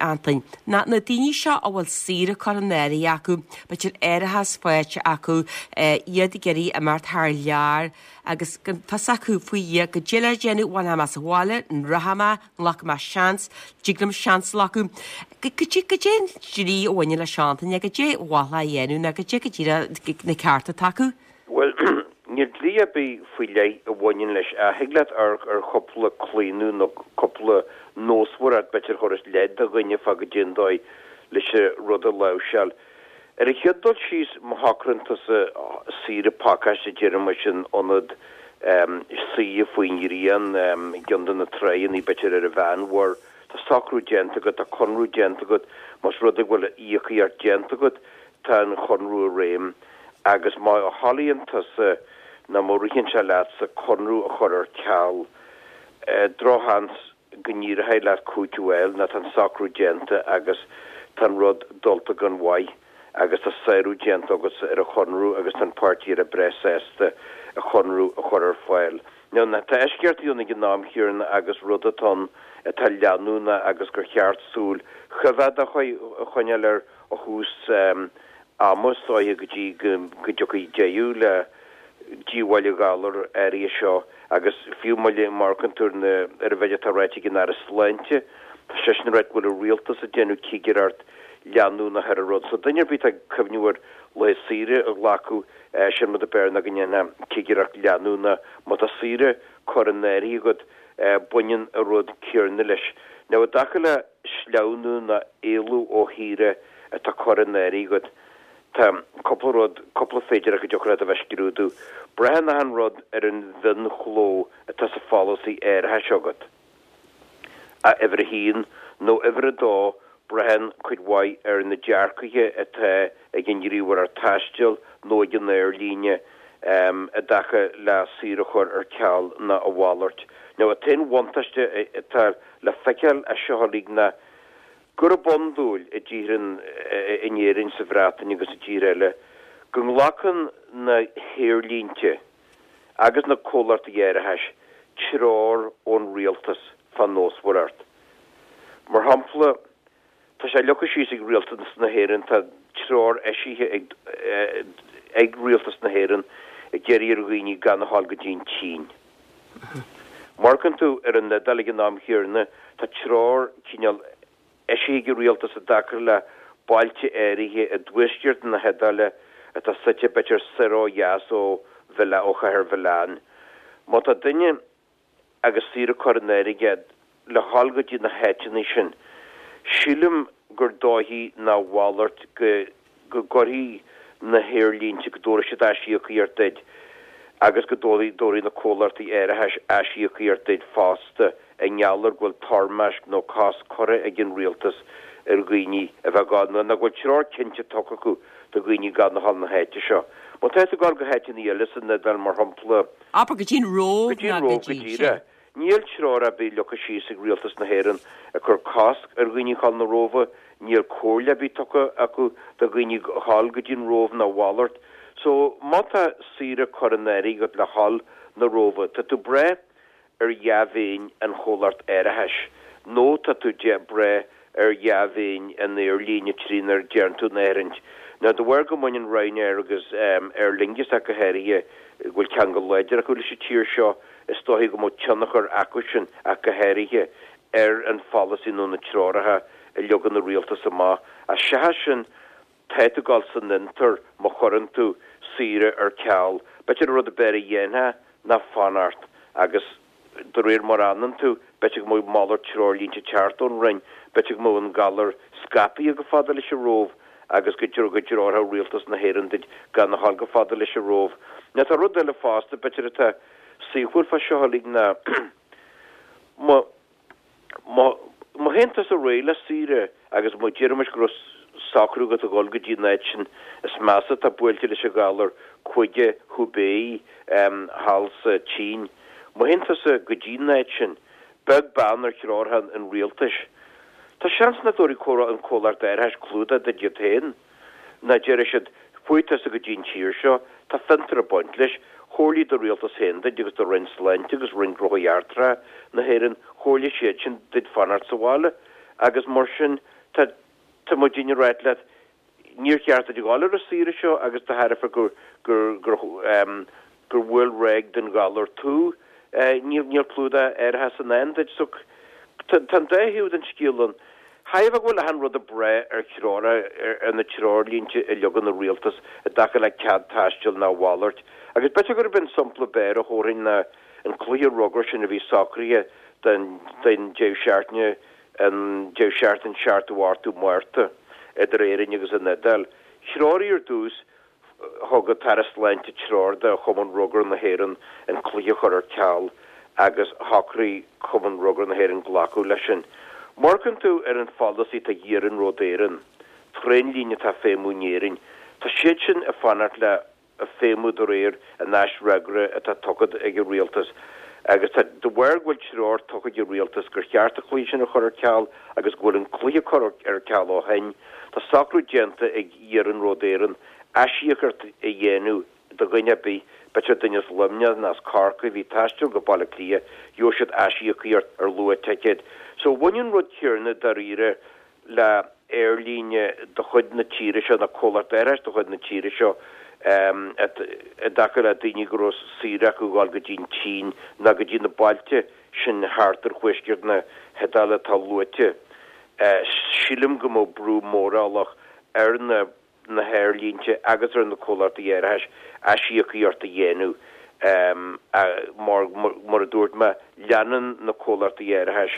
Antoin, ná na daoine seo a bhfuil saoire curtha in áirithe acu, b'fhéidir árachas faighte acu, iad ag iarraidh imeacht thar lear agus gan fios acu faoi Dhia goidé le déanamh, bhfanfaidh mé sa bhaile, an rachaidh mé, nglacfaidh mé seans, dtig liom seans a ghlacadh. Goidé, goidé an dlí a bhaineann leis seo, Antoin, goidé ba mhaith leo a dhéanamh nó goidé go díreach na cearta atá acu? Bhuel, níl dlí ar bith faoi leith a bhaineann leis ach thig leat amharc ar chúpla claonadh nó cúpla nósmhaireacht, b'fhéidir, a thabharfas leid do dhuine fá goidé an dóigh leis an rud a láimhseáil. Ar an chéad dul síos, má shocraíonn tusa saoire pacáiste, déarfaidh muid, in ionad suí faoin ghrian i gceann de na tráigheanna, b'fhéidir ar an Mheánmhuir, tá socrú déanta agat, tá conradh déanta agat, más rud é go bhfuil íocaíocht déanta agat, tá an chonradh i réim agus má thoilíonn tusa nó má ritheann sé leatsa conradh a chur ar ceal, drochsheans go n-éireoidh leat cúiteamh a fháil ná tá an socrú déanta agus tá an rud dulta gan mhaith agus tá sárú déanta agatsa ar an chonradh agus tá an páirtí eile breá sásta an chonradh a chur ar fáil. Now, tá eisceachtaí ann ag an am chéanna agus rud atá ann atá leanúnach agus gur cheart súil choimheádach a choinneáil air ó thús ama is dóiche go dtí go dtiocfaidh deireadh le díobháil an ghalair áirithe seo agus fiú má amharcann tú ar na ar an mhéid atá ráite ag an Aire Sláinte, tá seisean ag ráit go bhfuil an rialtas ag déanamh cigireacht leanúnach ar an rud. So duine ar bith atá ag cuimhniú ar laetha saoire a ghlacadh, sin rud ab fhearr ná go ndéanfá cigireacht leanúnach. Má tá saoire curtha in áirithe agat, baineann an rud céanna leis. Now i dtaca le sleamhnú nó éalú ó shaoire atá curtha in áirithe agat, Tá cúpla rud, cúpla féidearthacht go dtiocfadh leat a bheith ag scrúdú. Braitheann achan rud ar an mhionchló atá sa pholasaí árachais agat. A uimhir a haon, nó uimhir a dó, braitheann cuid mhaith ar na dearcaithe atá ag an ngníomhaireacht taistil nó ag an aerlíne i dtaca le saoire a chur ar ceal nó a mhalairt. Now, an t-aon bhuntáiste atá le feiceáil as seo uilig ná gurb iondúil i dtíortha in Éirinn, sa Bhreatain agus i dtíortha eile go nglacann na haerlínte agus na comhlachtaí árachais treoir ón rialtas fán nósmhaireacht. Mar shampla, tá sé leagtha síos ag rialtas na hÉireann, tá treoir eisithe ag ag rialtas na hÉireann ag iarraidh ar dhaoine gan a ghabháil go dtí an tSín. Má amharcann tú ar an Iodáil ag an am chéanna, tá treoir cineál eisithe ag an rialtas i dtaca le bailte áirithe i dtuaisceart na hIodáile atá suite b'fhéidir soir ó dheas ó ó chathair Mhilan. Má tá duine agus saoire curtha in áirithe aige le dhul go dtí na háiteanna sin, sílim gur dóichí ná a mhalairt go go gcuirfidh na haerlínte, go dtabharfaidh siad aisíocaíocht duit agus go dtabharfaidh na comhlachtaí árachais aisíocaíocht duit fosta i ngeall ar go bhfuil toirmeasc nó cosc curtha ag an rialtas ar dhaoine a bheith ag gabháil nó go bhfuil treoir cinnte tugtha acu do dhaoine gan a dhul na háite seo. Má tá tú ag gabháil go háiteanna eile san Iodáil, mar shampla. Abair go dtí an Róimh ná go dtí sin. Níl treoir ar bith leagtha síos ag Rialtas na hÉireann ag cur cosc ar dhaoine dhul na Róimhe, níl comhairle ar bith tugtha acu do dhaoine dhul go dtí an Róimh ná a mhalairt. So, má tá saoire curtha in áirithe agat le dhul na Róimhe, tá tú ag brath ar dhea-mhéin an chomhlacht árachais nó tá tú ag brath ar dhea-mhéin an aerlíne trínar déarn tú an áirithint. Now, de bharr go mbaineann Ryanair agus Aer Lingus ach go háirithe, go bhfuil ceangal láidir acu leis an tír seo, is dóichí go mbeadh tionchar acusin ach go háirithe ar an pholasaí nó na treoracha a leagann an rialtas amach. Ach seachas sin, tá tú ag dul san fhiontar má chuireann tú saoire ar ceal. B'fhéidir an rud ab fhearr a dhéanfá ná fanacht agus. de réir mar a fhanann tú, b'fhéidir go mbeadh malairt treoirlínte ag teacht ón Roinn, b'fhéidir go mbeadh an galar scaipthe chomh fada leis an Róimh agus go dtreorfadh Rialtas na hÉireann duit gan a ghabháil chomh fada leis an Róimh. Now tá rud eile fosta, b'fhéidir atá saoithiúil fá seo uilig ná má Má théann tusa réidh le saoire agus má déarfaimis go raibh socrú agat a dhul go dtí an áit sin is measa atá buailte leis an ghalar, cúige Hubei thall sa tSín, má théann tusa go dtí an áit sin, beag beann ar threoracha an rialtais, tá seans nach dtabharfaidh an comhlacht árachais clúdach duit iad féin. Nó déarfaidh siad, Chuaigh tusa go dtí an tír seo, tá fiontar ag baint leis, chomhairligh do rialtas féin duit agus do Roinn Sláinte agus Roinn Gnóthaí Eachtracha na hÉireann, chomhairligh siad sin duit fanacht sa bhaile agus mar sin tá tá muidinne ag ráit leat, níor cheart duit a dhul ar an saoire seo agus de thairbhe gur gur gur gur bhuail ráig den ghalar tú, níl níl clúdach árachais i ndán duit. So tá an dá thaobh den scéal ann. Chaithfeá go bhfuil achan rud ag brath ar threoir ar na treoirlínte a leagann an rialtas i dtaca le cead taistil nó a mhalairt. Agus b'fhéidir gurb é an sampla b'fhearr a thabharfainn ná an cluiche rugair sin a bhí socraithe don don deireadh seachtaine an deireadh seachtaine 7ú 8ú Márta idir Éirinn agus an Iodáil. Threoraigh ar dtús Thug an tAire Sláinte treoir do Chumann Rugair na hÉireann an cluiche a chur ar ceal agus shocraigh Cumann Rugair na hÉireann glacadh leis sin. Má amharcann tú ar an pholasaí atá ag Iarnród Éireann, traenlíne atá ag feidhmiú in Éirinn, tá siad sin ag fanacht le feidhmiú de réir an aisfhreagra atá tugtha ag an Rialtas agus tá de bharr go bhfuil treoir tugtha ag an Rialtas gur cheart an cluiche sin a chur ar ceal agus go bhfuil an cluiche curtha ar ceal ó shin, tá socrú déanta ag Iarnród Éireann aisíocaíocht a dhéanamh do dhuine ar bith, b'fhéidir duine as Luimneach nó as Corcaigh a bhí ag taisteal go Baile Átha Cliath, gheobhaidh siad aisíocaíocht ar luach ticéid. So bhain an rud céanna dáiríre le aerlíne de chuid na tíre seo nó comhlacht árachais de chuid na tíre seo i dtaca le daoine go raibh saoire acu a dhul go dtí an tSín nó go dtí na bailte sin thart ar thuaisceart na hIodáile atá luaite. Sílim go mbeadh brú mórálach ar na na haerlínte agus ar na comhlachtaí árachais aisíocaíocht a dhéanamh mar, mar a dúirt mé, leanann na comhlachtaí árachais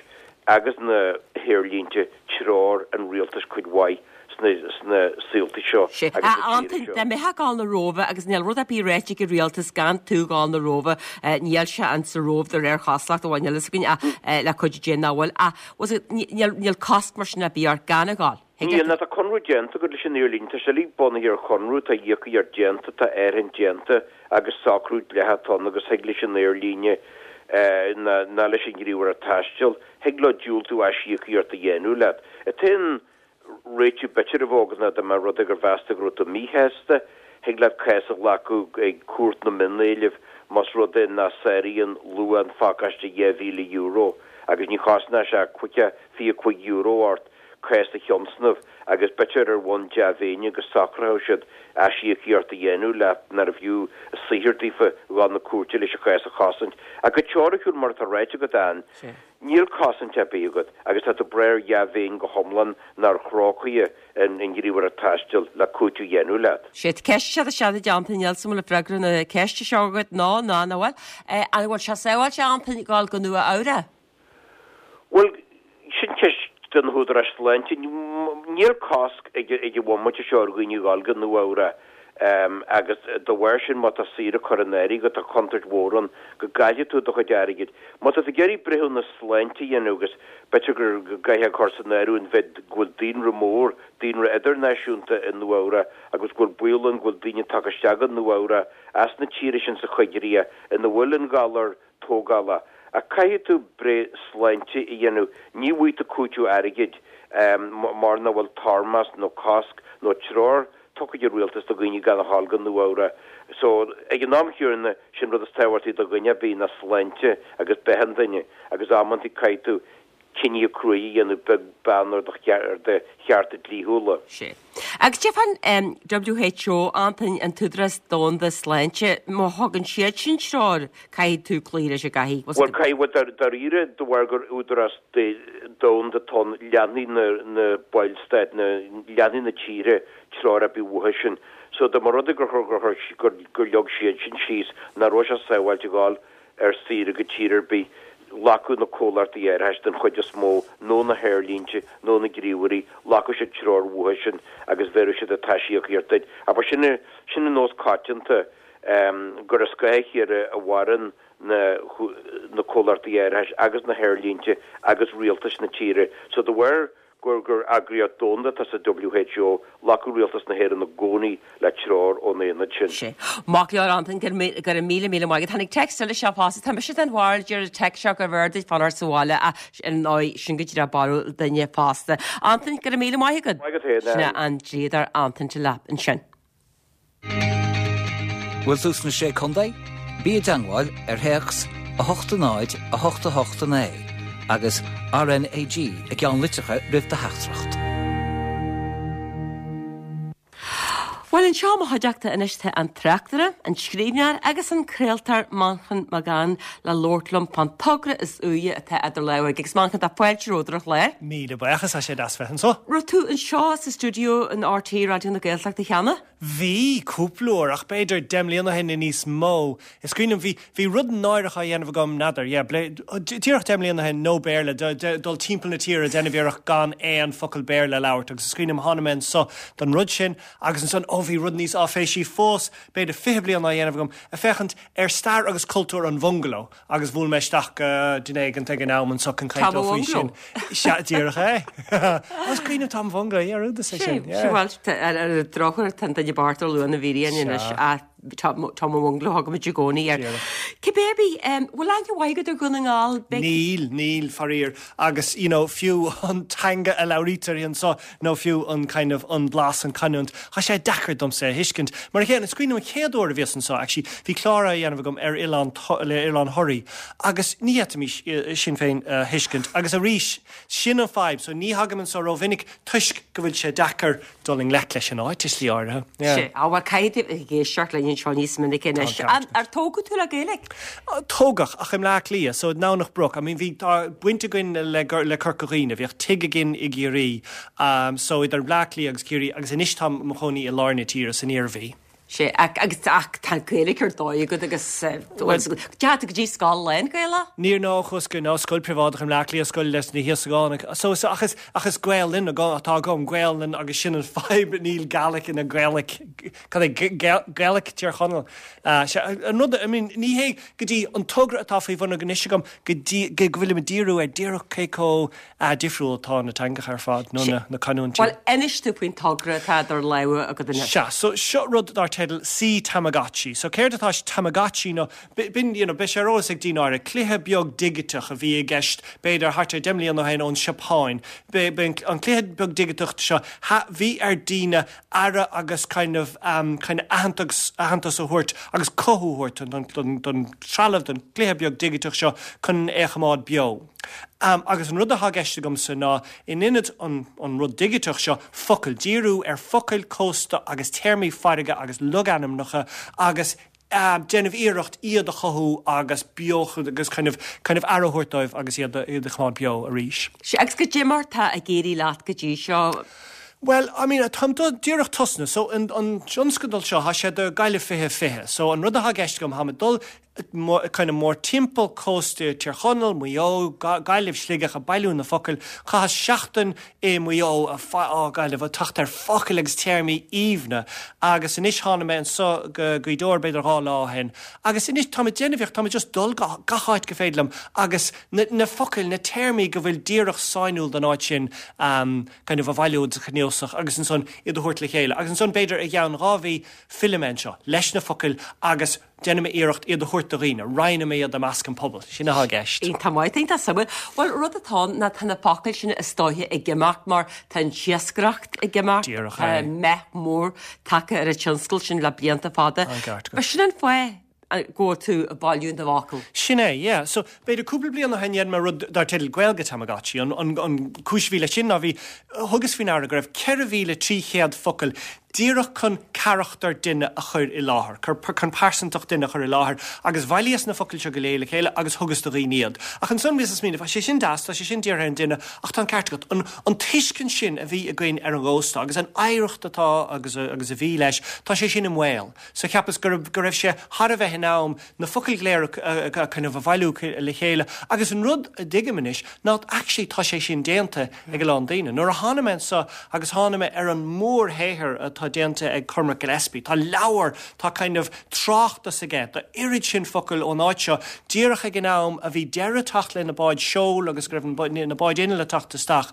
agus na haerlínte treoir an rialtais cuid mhaith sna sna saolta seo Sea. agus A sna tíortha Antain, seo. dá mbeifeá ag dul na Róimhe agus níl rud ar bith ráite ag an rialtas gan tú dhul na Róimhe, níl sé in sa Róimh de réir chosúlacht, amháin níl fhios againn ach le cuidiú Dé nach bhfuil. Ach, bhfuil fhios agat, níl níl cosc mar sin ar bith ort gan a dhul. Thig Níl, leat. ná tá conradh déanta agat leis an aerlíne, tá sé uilig bunaithe ar chonradh, tá íocaíocht déanta, tá áirithint déanta agus socrú dleathach atá ann agus thig leis an aerlíne ná ná leis an ghníomhaireacht taistil, thig leo diúltú aisíocaíocht a dhéanamh leat. An t-aon réiteach b'fhéidir a bheadh agat ná dá mba rud é gur mheas tú go raibh tú míshásta, thig leat cás a ghlacadh ag Cúirt na Mion-Éileamh más rud é nach sáraíonn luach an phacáiste €2,000 agus ní chosnóidh sé ach €25 ort. cás a thionscnamh agus b'fhéidir ar bhonn dea-mhéine go socródh siad aisíocaíocht a dhéanamh leat nárbh fhiú an saothar daofa dhul na cúirte leis an chás a chosaint. Ach go teoiriciúil, mar atá ráite agat Ann, níl cosaint ar bith agat agus tá tú ag brath ar dhea-mhéin go hiomlán nó ar thrócaire an ghníomhaireacht taistil le cúiteamh a dhéanamh leat. Sea, ceist seo isteach i dteannta níl 's agam an bhfuil freagra na ceiste seo agat nó ná nach bhfuil. An bhfuil sé sábháilte a Antain dhul go Nua Eabhrac? Bhuel, sin ceist do na húdaráis sláinte. Níl cosc ag an bhomaite seo ar dhaoine dhul go Nua Eabhrac agus dá bharr sin má tá saoire curtha in áirithe agat tá contúirt mhór ann go gcaillfidh tú do chuid airgid. Má tá tú ag iarraidh breithiúnas sláinte a dhéanamh agus b'fhéidir go gcaithfeá cur san áireamh an mhéid go bhfuil daonra mór, daonra idirnáisiúnta i Nua Eabhrac agus go bhfuil baol ann go bhfuil daoine tagtha isteach go Nua Eabhrac as na tíortha sin sa choigríoch ina bhfuil an galar tógála. Ach caithfidh tú breith sláinte a dhéanamh. Ní bhfaighidh tú cúiteamh airgid mar nach bhfuil toirmeasc nó cosc nó treoir tugtha ag an rialtas do dhaoine gan a ghabháil go Nua Eabhrac. So, ag an am chéanna, sin rud is tábhachtaí do dhuine ar bith ná sláinte agus beatha an duine agus amantaí caithfidh tú cinntí cruaidh a dhéanamh beag beann ar do chearta dlíthiúla. Sea. Agus cad é fán WHO, Antain, an tÚdarás Domhanda Sláinte, má thugann siad sin treoir, caithfidh tú cloí leis an gcaithfidh. Bhuel, caithfidh, bhuel, dáiríre, de bharr gur údarás domhanda atá ann, leanfaidh na ballstáit, leanfaidh na tíortha treoir ar bith uathu sin. So, dá mba rud é gur, gur, gur leag siad sin síos nach raibh sé sábháilte a ghabháil. ar saoire go tír ar bith, ghlacfadh na comhlachtaí árachais den chuid is mó, nó na haerlínte, nó na gníomhairí, ghlacfadh siad treoir uathu sin agus bhéarfadh siad an t-aisíocaíocht duit. Ach ba sin, sin an nós coitianta, gur i scáth a chéile a mhaireann na, na comhlachtaí árachais agus na haerlínte agus rialtais na tíre. So de bharr gur gur eagraíocht domhanda atá sa WHO, ghlacfadh Rialtas na hÉireann i gcónaí le treoir ón aonad sin. Sea. Maith go leor Antain, go raibh míle míle maith agat. Tháinig téacs eile isteach fosta. Tá mise den bharúil, deir an téacs seo gurbh fhearr duit fanacht sa bhaile ach ar ndóigh sin go díreach barúil duine fosta. Antain, go raibh míle maith agat. Maith agat féin, Sin é an dlíodóir Antain Delap ansin. Bhfuil tú sna Sé Contae? Bí i dteangmháil ar théacs 8 0 8 8 9 agus RNAG i gceannlitreacha roimh do theachtaireacht. Bhuel, anseo i mo chuideachta anois tá an tráchtaire, an scríbhneoir agus an craoltóir Manchán Magan le labhairt liom fán togra is úire atá idir lámha aige. Agus Manchán, tá fáilte romhat ar an chlár. Míle buíochas, tá sé deas bheith anseo. Raibh tú anseo sa stiúideo in RTÉ Raidió na Gaeltachta cheana? Bhí, cúpla uair, ach b'fhéidir 10 mbliana ó shin nó níos mó. Is cuimhin liom, bhí, bhí rud náireach á dhéanamh agam, n'fheadar, yeah, díreach 10 mbliana ó shin, no Béarla, dul timpeall na tíre ag déanamh iarracht gan aon focal Béarla a labhairt agus is cuimhin liom tháinig mé anso don rud sin agus ansan, ó bhí rud níos áiféisí fós, b'fhéidir 20 bliain á dhéanamh agam, ag féachaint ar stair agus cultúr an bhungaló. Agus bhuail mé isteach go duine éigint ag an am anso chun caint leo faoi sin. Sea, díreach é. Is cuimhin liom Tom Bhungaló, yeah, rud is é sin, yeah. Bhuel, ar an drochuair, tá an duine bocht ar luath na bhfírinne anois ach Tom an Bhungaló a thugaimid i gcónaí air. Cibé ar bith, bhfuil aithne mhaith agat ar Dhún na nGall? Níl, níl, faraor. Agus, you know, fiú an teanga a labhraítear anso, nó fiú an kind of an blas, an canúint, tá sé deacair domsa é a thuiscint. Mar a chéanna, is cuimhin liom an chéad uair a bhíos anso, actually, bhí clár á dhéanamh agam ar oileán, le Oileán Thoraí, agus ní fhéadfaimis sinn féin a thuiscint. Agus arís, sin an fadhb, so ní thagaim anso rómhinic toisc go bhfuil sé deacair dul i ngleic leis an áit i slí áirithe. Yeah. Sea, á bhuel, caithfidh tú ag éisteacht linn anseo níos minice anois. Tá an ceart. Ar tógadh tú le Gaeilge? Tógadh, ach i mBleá Cliath, so i nDomhnach Broc. I mean, bhí, tá baint againn le, le Corca Dhuibhne, bhíodh tigh againn i gCiarraí, so idir Bleá Cliath agus Ciarraí, agus anois táim i mo chónaí i lár na tíre, san Iarmhí. Sea, agus, ach tá Gaeilge ar dóigh agat agus, bhuel, deachaigh tú go dtí scoil lán-Ghaelach? Níor, no, chuas go, no, scoil príobháideach i mBleá Cliath, scoil leis na hÍosagánaigh. So, so, ach is, ach is Gaelainn atá agam, Gaelainn agus sin an fadhb, níl Gaelic ina Gaelic, cad é, Gaelic Tír Chonaill. Sea, an rud, I mean, ní hé go dtí an togra atá faoi bhun anois agam go dtí, go bhfuilim ag díriú ar díreach cé chomh difriúil atá na teangacha ar fad, nó na canúintí. Bhuel, inis domh faoin togra atá idir lámha agat anois. Sea, so seo rud dar teideal Sea Tamagotchi. So céard atá sa Tamagotchi ná, b'in, you know, beidh sé ar eolas ag daoine áirithe, cluiche beag digiteach a bhí i gceist b'fhéidir thart ar 10 mbliana ó shin ón Seapáin. B'in an cluiche beag digiteach seo, bhí ar daoine aire agus kind of kind of aitheantas aitheantas a thabhairt agus cothú a thabhairt don don don trealamh don chluiche beag digiteach seo chun é a choimeád beo. Agus an rud atá i gceist agamsa ná in ionad an an rud digiteach seo focail, díriú ar focail cósta agus téarmaí farraige agus logainmneacha agus déanamh iarracht iad a chothú agus beochan agus kind of kind of aire a thabhairt dóibh agus iad a iad a choimeád beo arís. Sea, agus goidé mar tá ag éirí leat go dtí seo? Bhuel, I mean, táim díreach tosnaithe, so an an tionscadal seo, tá sé do Gaillimh 2020, so an rud atá i gceist agam, táim ag dul kind of mórtimpeall cósta Tír Chonaill, Maigh Eo, Gaillimh, Sligeach, ag bailiú na focail. Chaitheas seachtain i Maigh Eo, á Gaillimh, ag teacht ar focail agus téarmaí aoibhne agus anois tháinig mé anso go Gaoth Dobhair b'fhéidir 2 lá ó shin agus anois táim ag déanamh iarracht, táim ag just dul go gach áit go féidir liom agus na na focail, na téarmaí go bhfuil díreach sainiúil don áit sin kind of a bhailiú agus a chnuasach agus ansan iad a thabhairt le chéile agus ansan b'fhéidir i gceann 2 mhí fillfidh mé anseo leis na focail agus Déanfaidh mé iarracht iad a thabhairt do dhaoine, roinnfidh mé iad i measc an pobail. Sin atá i gceist. Iontach maith, iontach suimiúil. Bhuel, rud atá ann ná tá na focail sin is dóiche ag imeacht mar tá an t-iascaireacht ag imeacht, Díreach tá é. meath mór tagtha ar an tionscal sin le blianta fada. An ceart agat. Sin an fáth go bhfuil tú ag bailiú na bhfocal. Sin é, yeah. So, b'fhéidir cúpla bliain ó shin dhein mé rud dar teideal Gaeilge Tamagotchi. An, an, an cúis a bhí leis sin ná bhí, thugas faoi ndeara go raibh 4,300 focal. díreach chun carachtar duine a chur i láthair, chun pearsantacht duine a chur i láthair agus bhailíos na focail seo go léir le chéile agus thugas do dhaoine iad. Ach ansan bhíos ag smaoineamh, tá sé sin deas, tá sé sin dírithe ar an duine ach tá an ceart agat, an an tuiscint sin a bhí againn ar an gcósta agus an oidhreacht atá agus agus a bhí leis, tá sé sin i mbaol. So cheapas go raibh go raibh sé thar a bheith in am na focail go léir a kind of a bhailiú le chéile agus an rud a dtuigim anois ná actually tá sé sin déanta ag a lán daoine. Nuair a tháinig mé anseo agus tháinig mé ar an mórshaothar atá déanta ag Cormac Gillespie, tá leabhar, tá kind of tráchtas aige de oiread sin focail ón áit seo díreach ag an am a bhí deireadh teacht le na báid seoil agus go raibh na báid innill ag teacht isteach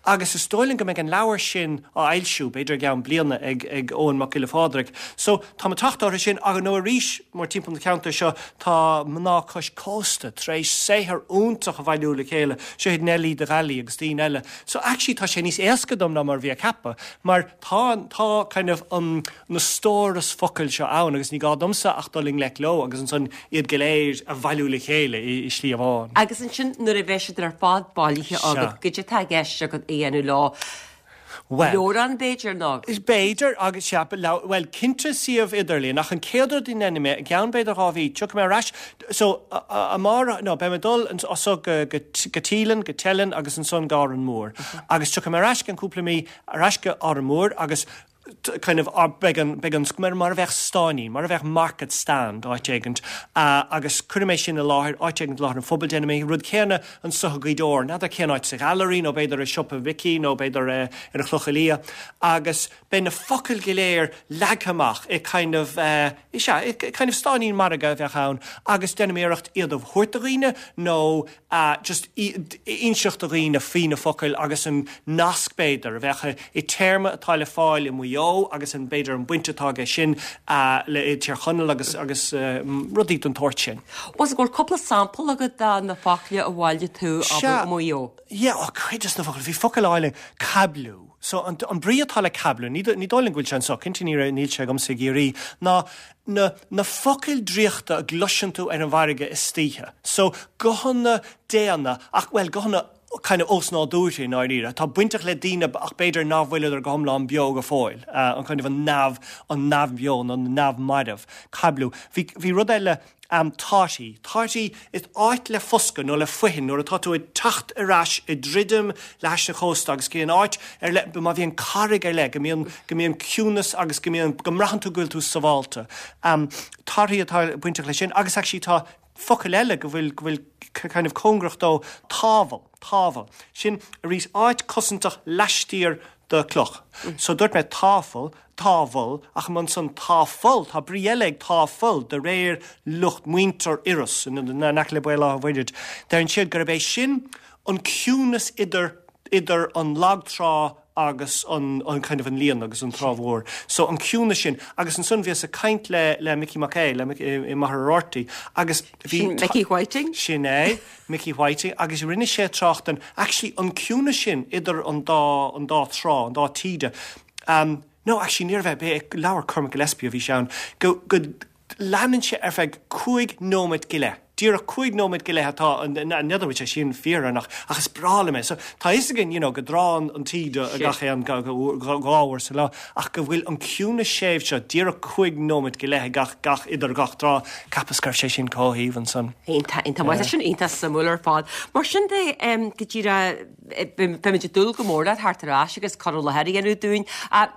agus is dóigh liom go mbeidh an leabhar sin á fhoilsiú b'fhéidir i gceann bliana ag ag Eoghan Mac Giolla Phádraig. So táim ag teacht orthu sin agus nó arís mórtimpeall na ceantair seo tá mná cois cósta tar éis saothar iontach a bhailiú le chéile, seo iad Neilí de Ghallaí agus daoine eile. So actually tá sé níos éasca dom ná mar a bhí ag ceapadh mar tá tá kind of an na stóras focail seo ann agus ní gá domsa ach dul i ngleic leo agus ansan iad go léir a bhailiú le chéile i slí amháin. Agus ansin nuair a bheidh siad ar fad bailithe agat, goidé atá i gceist agat a dhéanamh leo? Bhuel. Leabhrán b'fhéidir nó? B'fhéidir agus sea, bhuel cinnte suíomh idirlíon ach an chéad rud a dhéanfaidh mé, i gceann b'fhéidir 2 mhí, tiocfaidh mé ar ais, so amárach, no beidh mé ag dul anso go go Teelainn, go Teileann agus ansan go Árainn Mhór agus tiocfaidh mé ar ais i gceann cúpla mí, ar ais go Árainn Mhór agus kind of beidh an, beidh an, mar a bheadh stáinín, mar a bheadh market stand áit éigint agus cuirfidh mé sin i láthair, áit éigint i láthair an phobail, déanfaidh mé an rud céanna anso i Gaoth Dobhair, n'fheadar cén áit, sa Ghailearaí nó b'fhéidir i siopa Mhicí nó b'fhéidir ar an Chloich Liath agus beidh na focail go léir leagtha amach i kind of, is ea, i kind of stáinín margaidh a bheadh ann agus déanfaidh mé iarracht iad a thabhairt do dhaoine nó just inseacht do dhaoine faoi na focail agus an nasc b'fhéidir a bheadh i téarma atá le fáil i Maigh Eo agus an b'fhéidir an baint atá aige sin le i Tír Chonaill agus agus rudaí den tsórt sin. Bhuel an bhfuil cúpla sampla agat de na focla a bhailigh tú abair i Maigh Eo? Yeah, oh cuid des na focail, bhí focal álainn, caibliú. So an an brí atá le caibliú, ní ní dóigh liom go bhfuil sé anso, cinnte ní raibh níl sé agamsa i gCiarraí, ná na na focail draíochta a gcloiseann tú ar an bhfarraige istoíche. So guthanna daonna ach, bhuel, guthanna kind of osnádúrtha i ndáiríre, atá bainteach le daoine ach b'fhéidir nach bhfuileadar go hiomlán beo go fóill, an kind of an neamh, an neamhbheo nó an neamh-mharbh. Caibliú. Bhí, bhí rud eile, Am totty. Totty is áit le foscadh nó le foithin nuair atá tú ag teacht ar ais ag druidim le hais an chósta agus go dtí áit ar leith, má bhíonn carraig ar leith, go mbíonn, go mbíonn ciúnas agus go mbíonn, go mbraitheann tú go bhfuil tú sabhálta. Am totty atá bainteach leis sin agus actually tá focal eile go bhfuil, go bhfuil kind of cóngarach dó, támhall, támhall. Sin arís áit cosantach laistiar de cloch. So dúirt mé táfal, támhall, ach ansan táfall, tá brí eile ag táfall de réir lucht muintir Iorrais, in aice le Béal Átha Mhuirthid. Deireann siad gurb é sin an ciúnas idir idir an lag trá agus an an kind of an líon agus an trá mhór. So an ciúnas sin. Agus ansan bhíos ag caint le le Micí Mac Aodha, le i Machaire Rabhartaigh agus bhí. Sin Micí Whiting? Sin é. Mickey Whiting, agus rinne sé trácht den, actually, an ciúnas sin idir an dá, an dá trá, an dá taoide, um, no, actually, níorbh é, b'é leabhar Cormac Gillespie a bhí sé ann, go, go leanann sé ar feadh cúig nóiméad go leith, díreach cúig nóiméad go leith atá, n'fheadar bhfuil sé sin fíor or nach, ach is breá liom é. So, tá a fhios againn, you know, go dtránn an taoide gach aon, dhá uair sa lá, ach go bhfuil an ciúnas séimh seo díreach cúig nóiméad go leith ag gach, gach, idir gach trá, Cheapas go raibh sé sin chomh haoibhinn san. Iontach, iontach maith. Tá sin iontach suimiúil ar fad. Mar sin de, go díreach, beimid ag dúil go mór le theacht ar ais agus cur i láthair a dhéanamh dúinn.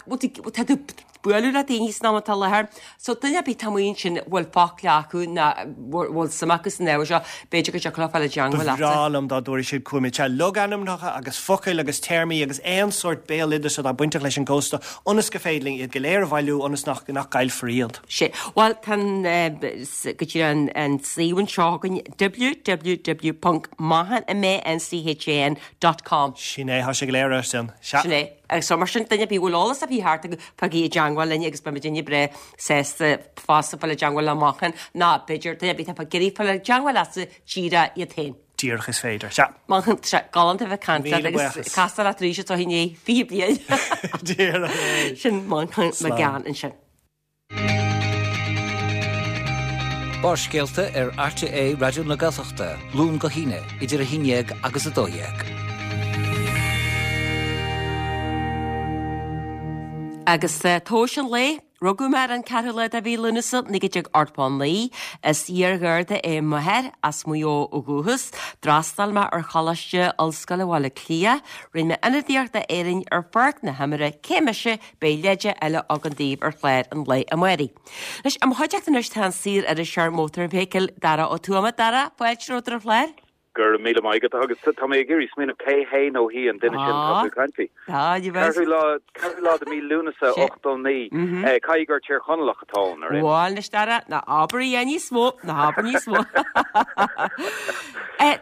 Bhuel, tá tú bualadh le daoine san am atá i láthair. So duine ar bith atá amuigh ansin a bhfuil focla acu nó a bhfuil suim acu san ábhar seo, b'fhéidir go dtiocfadh leo fáil i dteangmháil leatsa. Ba bhreá liom dá dtabharfadh siad chugam iad. Sea, logainmneacha agus focail agus téarmaí agus aon sórt béaloideas atá bainteach leis an gcósta ionas go féidir linn iad go léir a bhailiú ionas nach gcaillfear iad. Sea. Bhuel, tá an, go díreach an, an suíomh anseo againn, www ponc manchan, M-A-N-C-H-A-N, dot com. Sin é, tá sé go léir air sin. Sea. Sin é. Agus so, mar sin, duine ar bith a bhfuil eolas ar bith thart acu, fáigí i dteangmháil linn agus beimid inne breá sásta fosta fáil i dteangmháil le Manchán, ná b'fhéidir duine ar bith atá ag iarraidh fáil i dteangmháil leatsa díreach iad féin. Díreach is féidir. Sea. Manchán, tá sé galánta a bheith ag caint leat agus castáil leat arís anseo i ndiaidh 20 bliain. Díreach é. Sin Manchán Mac Gabhann ansin. Barrscéalta ar RTÉ Raidió na Gaeltachta, Luan go hAoine, idir 11 agus 12. Agus tomhais an lae, Rugadh mé ar an 4ú lá de mhí Lúnasa 1989. Is iar-Gharda é m'athair, as Maigh Eo ó dhúchas. D'fhreastail mé ar Choláiste Ollscoile Bhaile Átha Cliath. Rinne mé ionadaíocht d'Éirinn ar pháirc na himeartha. Cé mise? Beidh leide eile againn daoibh ar chlár an lae amáirigh. Anois, i mo chuideachta anois tá an saor-iriseoir mótarfheithicle, Dara Ó Tuama. Dara, fáilte romhat ar an chlár. Go raibh míle maith agat. Agus tá mé ag iarraidh smaoineamh cé hé nó hí an duine sin atá tú ag caint faoi. Ceathrú lá, ceathrú lá de mí Lúnasa 89. Caithfidh gur Tír Chonallach atá ann, ar aon. Bhuel, anois Dara, ná abair a dhath níos mó, ná habair níos mó.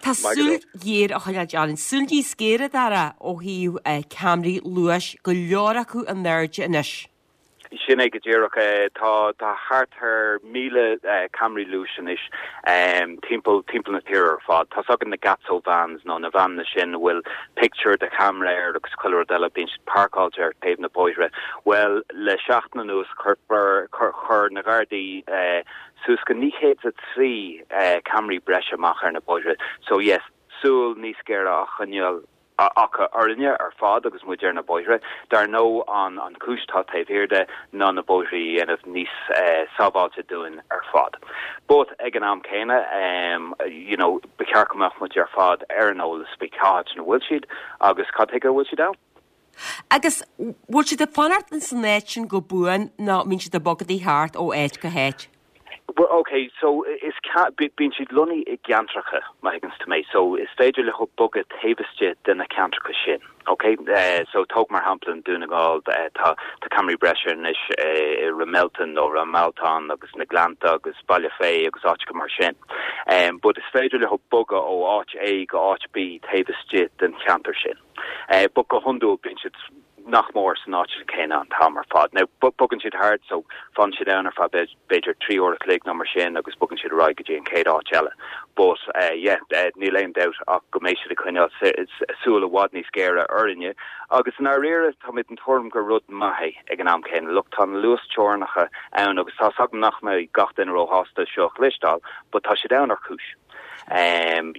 Tá súil ghéar á choinneáil orainn, súil níos géire, Dara, ó thaobh ceamaraí luais, go leor acu in airde anois. Sin é go díreach. Tá thart ar 1,000 ceamaraí luais anois timpeall timpeall na tíre ar fad. Tá's againn na Gatso vans nó na veaineanna sin a bhfuil pictiúr de cheamara air agus chuile rud eile, bíonn siad páirceáilte ar taobh na bóithre. Bhuel, le seachtain anuas chuir chuir na Gardaí suas go 903 ceamaraí breise amach ar na bóithre. So yes, súil níos géire á choinneáil acu orainne ar fad agus muid ar na bóithre. Dar ndóigh an an chúis atá taobh thiar de ná na bóithre a dhéanamh níos sábháilte dúinn ar fad. But ag an am céanna you know ba cheart go mbeadh muid ar fad ar an eolas faoi cá háit ina bhfuil siad agus cad chuige a bhfuil siad ann. Agus bhfuil siad ag fanacht ins an áit sin go buan nó mbíonn siad ag bogadaí thart ó áit go háit? Well ok so is bíonn siad lonnaithe i gceantracha má thuigeanns tú mé so is féidir leo bogadh taobh istigh de na ceantracha sin ok so tóg mar shampla i nDún na nGall tá tá ceamaraí breise anois i Ramelton nó Ramelton agus na Gleannta agus Baile Féith agus áiteacha mar sin but is féidir leo bogadh ó áit A go áit B taobh istigh den cheantar sin but go hiondúil bíonn siad nach mór san áit chéanna an t-am ar fad. Now, bogann siad thart so fanann siad ann ar feadh b'fhéidir 3 uair a chloig nó mar sin agus bogann siad ar aghaidh go dtí an chéad áit eile. But yeah, níl aon dabht ach go mbeidh siad ag coinneáil súil i bhfad níos géire orainne agus i ndáiríre tá mé den tuairim gur rud maith é ag an am céanna. Look, tá na luasteorainneacha ann agus tá's agam nach mbeidh gach duine róshásta seo a chloisteáil but tá siad ann ar chúis.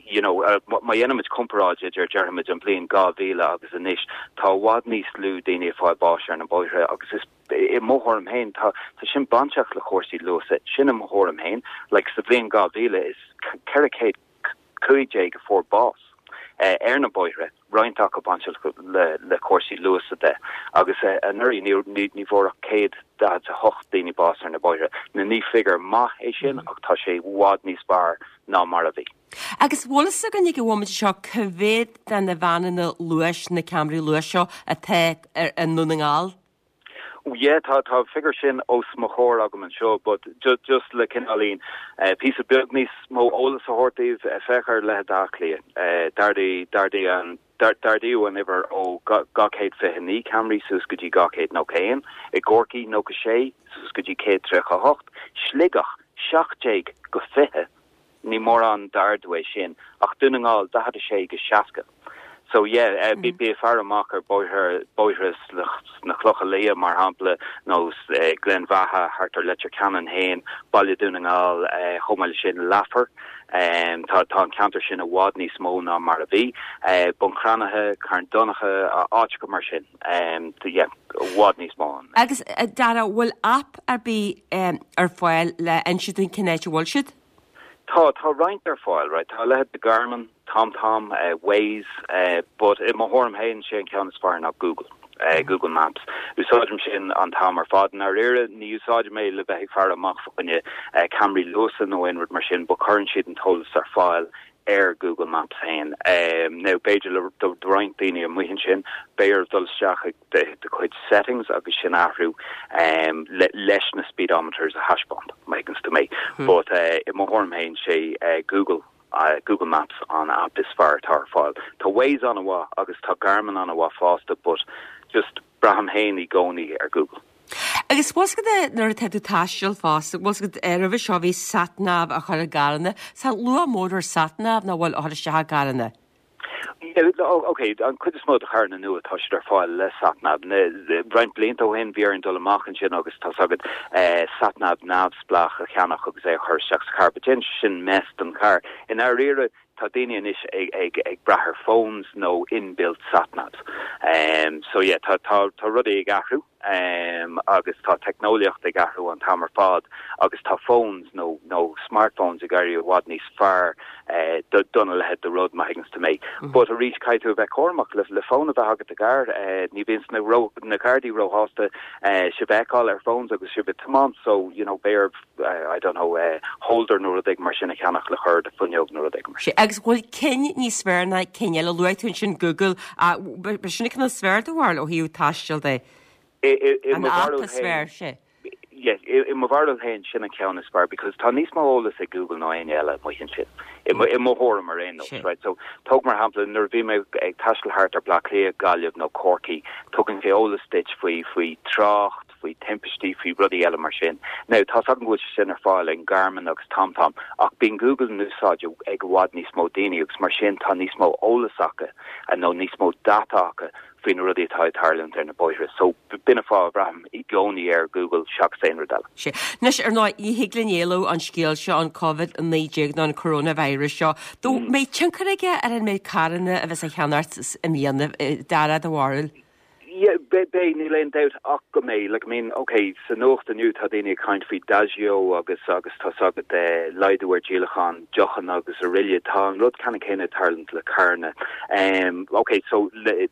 You know, má dhéanaimid comparáid idir, déarfaimid, an bhliain 2000 agus anois, tá i bhfad níos lú daoine ag fáil báis ar na bóithre agus is, i mo thuairim féin, tá, tá sin bainteach le cúrsaí luasa. Sin i mo thuairim féin. Like, sa bhliain 2000, is 415 a fuair bás ar na bóithre. roinnt acu bainteach le cúrsaí luasa de, agus anuraidh ní ní bhfuair ach 148 daoine bás ar na bóithre. Now ní figiúr maith é sin ach tá sé i bhfad níos fearr ná mar a bhí. Agus bhfuil fhios againn ag an bhomaite seo cá mhéad de na veaineanna luais, na ceamaraí luais seo atá i nDún na nGall? Yeah, tá tá an figiúr sin os mo chomhair agam anseo, but just le cineáilín píosa beag níos mó eolas a thabhairt daoibh, féach ar leithead Átha Cliath. D'ardaigh d'ardaigh an d'ardaíodh an uimhir ó 229 ceamaraí suas go dtí 291, i gCorcaigh 96 suas go dtí 138, Sligeach 17 go 20. Ní mórán d'ardú é sin, ach Dún na nGall, 46-60. So yeah, bí ag faire amach ar bóithre, bóithre sna Clocha Liath, mar shampla, nó Gleann Bheatha, thart ar Leitir Ceanainn féin, Baile Dhún na nGall, chomh maith leis sin, Leifear. Tá tá an ceantar sin i bhfad níos mó ná mar a bhí. Bun Cranncha, Carn Donncha, áiteacha mar sin. Yeah, i bhfad níos mó ann. Agus, Dara, bhfuil aip ar bith ar fáil le inse dúinn cén áit a bhfuil siad? Tá, tá roinnt ar fáil, right. Tá a leithéid de Garmin, TomTom, Waze, but i mo thuairim féin, sé an ceann is fearr ná Google, Google Maps. Úsáidim sin an t-am ar fad. I ndáiríre, ní úsáidim é le bheith ag faire amach fá choinne ceamaraí luasa nó aon rud mar sin, but cuireann siad an t-eolas ar fáil ar Google Maps féin. Now, b'fhéidir le do roinnt daoine amuigh ansin, beidh orthu dul isteach ag do chuid settings agus sin a athrú leis na speedometers a thaispeáint, má thuigeanns tú mé. But i mo thuairim féin, sé Google, Google Maps an app is fearr atá ar fáil. Tá Waze an-mhaith agus tá Garmin an-mhaith fosta but just braithim féin i gcónaí ar Google. Agus bhfuil 's agat nuair atá tú ag taisteal fosta, bhfuil 's agat roimhe seo bhí sat nav á chur i gcarranna, tá luach mór ar sat nav nach bhfuil a chur isteach i gcarranna? Ok, an chuid is mó de charranna nua tá siad ar fáil le sat nav. Roinnt blianta ó shin bhí orainn dul amach ansin agus tá's agat sat nav neamhspleách a cheannach agus é a chur isteach sa charr, but déanann sé sin mess don charr. I ndáiríre. Tá daoine anois ag ag ag brath ar phones nó inbuilt satnavs. So yeah, tá tá tá rudaí ag athrú agus tá teicneolaíocht ag athrú an t-am ar fad agus tá phones nó nó smartphones ag éirí i bhfad níos fearr do dona leithéid de rud má thuigeanns tú mé. But arís caithfidh tú a bheith cúramach le le fón a bheith agat i gcarr. Ní bhíonns na ró na gardaí róshásta sibh a fheiceáil ar phones agus sibh ag tiomáint so you know beidh oraibh I don't know, holder nó rud éigin mar sin a cheannach le cur ar do fuinneog nó rud éigin mar sin. Agus an bhfuil cinn níos fearr ná cinn eile? Luaigh tú ansin Google. B'shin an ceann is fearr do bharúil ó thaobh taistil de? I mo bharúil An app is fearr, sea. Yes, i mo bharúil féin sin an ceann is fearr because tá níos mó eolas ag Google ná éinne eile amuigh ansin. I mo thuairim ar aon nós, right? So tóg mar shampla nuair a bhí mé ag taisteal thart ar Bleá Cliath, Gaillimh nó Corcaigh, tugann sé eolas duit faoi faoi trácht, faoi thimpistí, faoi rudaí eile mar sin. Now, tá's agam go bhfuil sé sin ar fáil ag Garmin agus TomTom, ach bíonn Google in úsáid ag i bhfad níos mó daoine agus mar sin tá níos mó eolas acu nó níos mó data acu faoi na rudaí atá ag tarlúint ar na bóithre. So, b'in an fáth a bhraithim i gcónaí ar Google seachas aon rud eile. Sea. Anois, ar ndóigh, ní thig linn éalú ón scéal seo, an Covid-19 nó an coronavirus seo. An mbeidh tionchar aige ar an méid carranna a bheas á cheannacht i mbliana, Dara, do bharúil? Yeah, beidh, níl aon dabht ach go mbeidh. Like, I mean, ok, sa nuacht inniu tá daoine ag caint faoi Diageo agus, agus tá's agat, eh, laghdú ar díolachán deochanna agus araile. Tá an rud ceannann céanna ag tarlúint le carranna. Em, ok, so, le,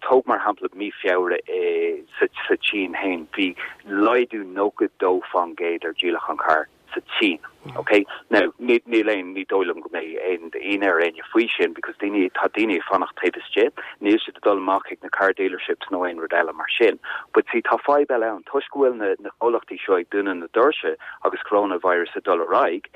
tóg mar shampla mí Feabhra i, sa, sa tSín féin, bhí laghdú 92% ar díolachán carr. sa tSín. Ok? Now, ní, níl aon, ní dóigh liom go mbeidh aon ionadh ar éinne faoi sin because daoine, tá daoine ag fanacht taobh istigh, níl siad ag dul amach chuig na car dealerships nó aon rud eile mar sin. But see, tá fadhb eile ann, toisc go bhfuil na, na comhlachtaí seo ag dúnadh na doirse agus coronavirus ag dul ar aghaidh,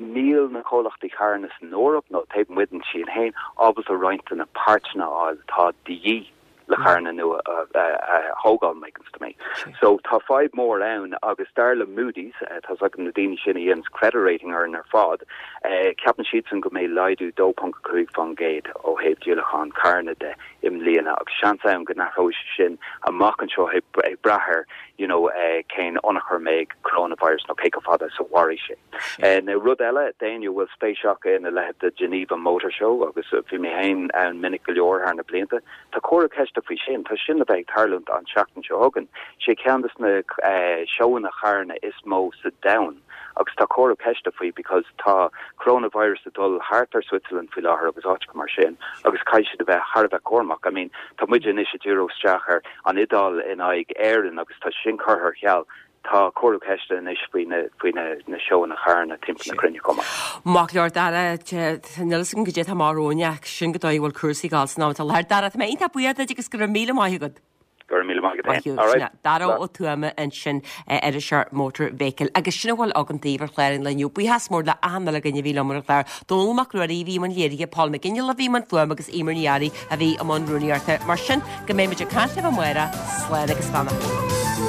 níl na comhlachtaí carranna san Eoraip nó taobh amuigh den tSín féin ábalta roinnt de na páirteanna a fháil atá de dhíth. le carranna nua a thógáil, má thuigeanns tú mé. So tá fadhb mór ann agus dar le Moody's, tá's agat na daoine sin a dhéananns credit rating orainn ar fad, ceapann siadsan go mbeidh laghdú 2.5% ó thaobh díolachán carranna de i mbliana agus seans ann go n-athróidh sé sin amach anseo ag brath ar you know cén tionchar a mbeidh coronavirus nó cé chomh fada is a mhairfidh sé. Now rud eile, d'éinne a bhfuil spéis acu ina leithéid de Geneva Motor Show, agus bhí mé féin ann minic go leor thar na blianta, tá comhartha ceiste faoi sin. Tá sin le bheith ag tarlúint an tseachtain seo chugainn. Sé ceann des na seóanna charranna is mó sa domhan agus tá comhartha ceiste faoi because tá coronavirus ag dul thart ar Switzerland faoi láthair agus áiteacha mar sin agus caithfidh siad a bheith thar a bheith cúramach. I mean, tá muide anois ag díriú isteach ar an Iodáil in aghaidh Éireann agus tá sin curtha ar ceal. Tá comhartha ceiste anois faoi na faoi na na seóanna charranna timpeall na cruinne chomh maith. Maith go leor, Dara, níl a fhios agam goidé atá amach romhainn ach sin an dóigh a bhfuil cúrsaí ag dul san am atá i láthair. Dara, tá mé iontach buíoch duit agus go raibh míle maith agat. Go raibh míle maith agat Maith thú. All right. Dara Ó Tuama ansin, iriseoir Motor Vehicle. Agus sin a bhfuil againn daoibh ar chlár an lae inniu. Buíochas mór le achan uile dhuine a bhí liom ar an chlár. Dónall Mac Ruairí a bhí i mbun léirithe, Paul McGinley a bhí i mbun fuaime agus Eimear Ní Fhearraigh a bhí i mbun rúnaíochta. Mar sin, Go mbeidh muid ag caint libh amárach, slán agus beannacht.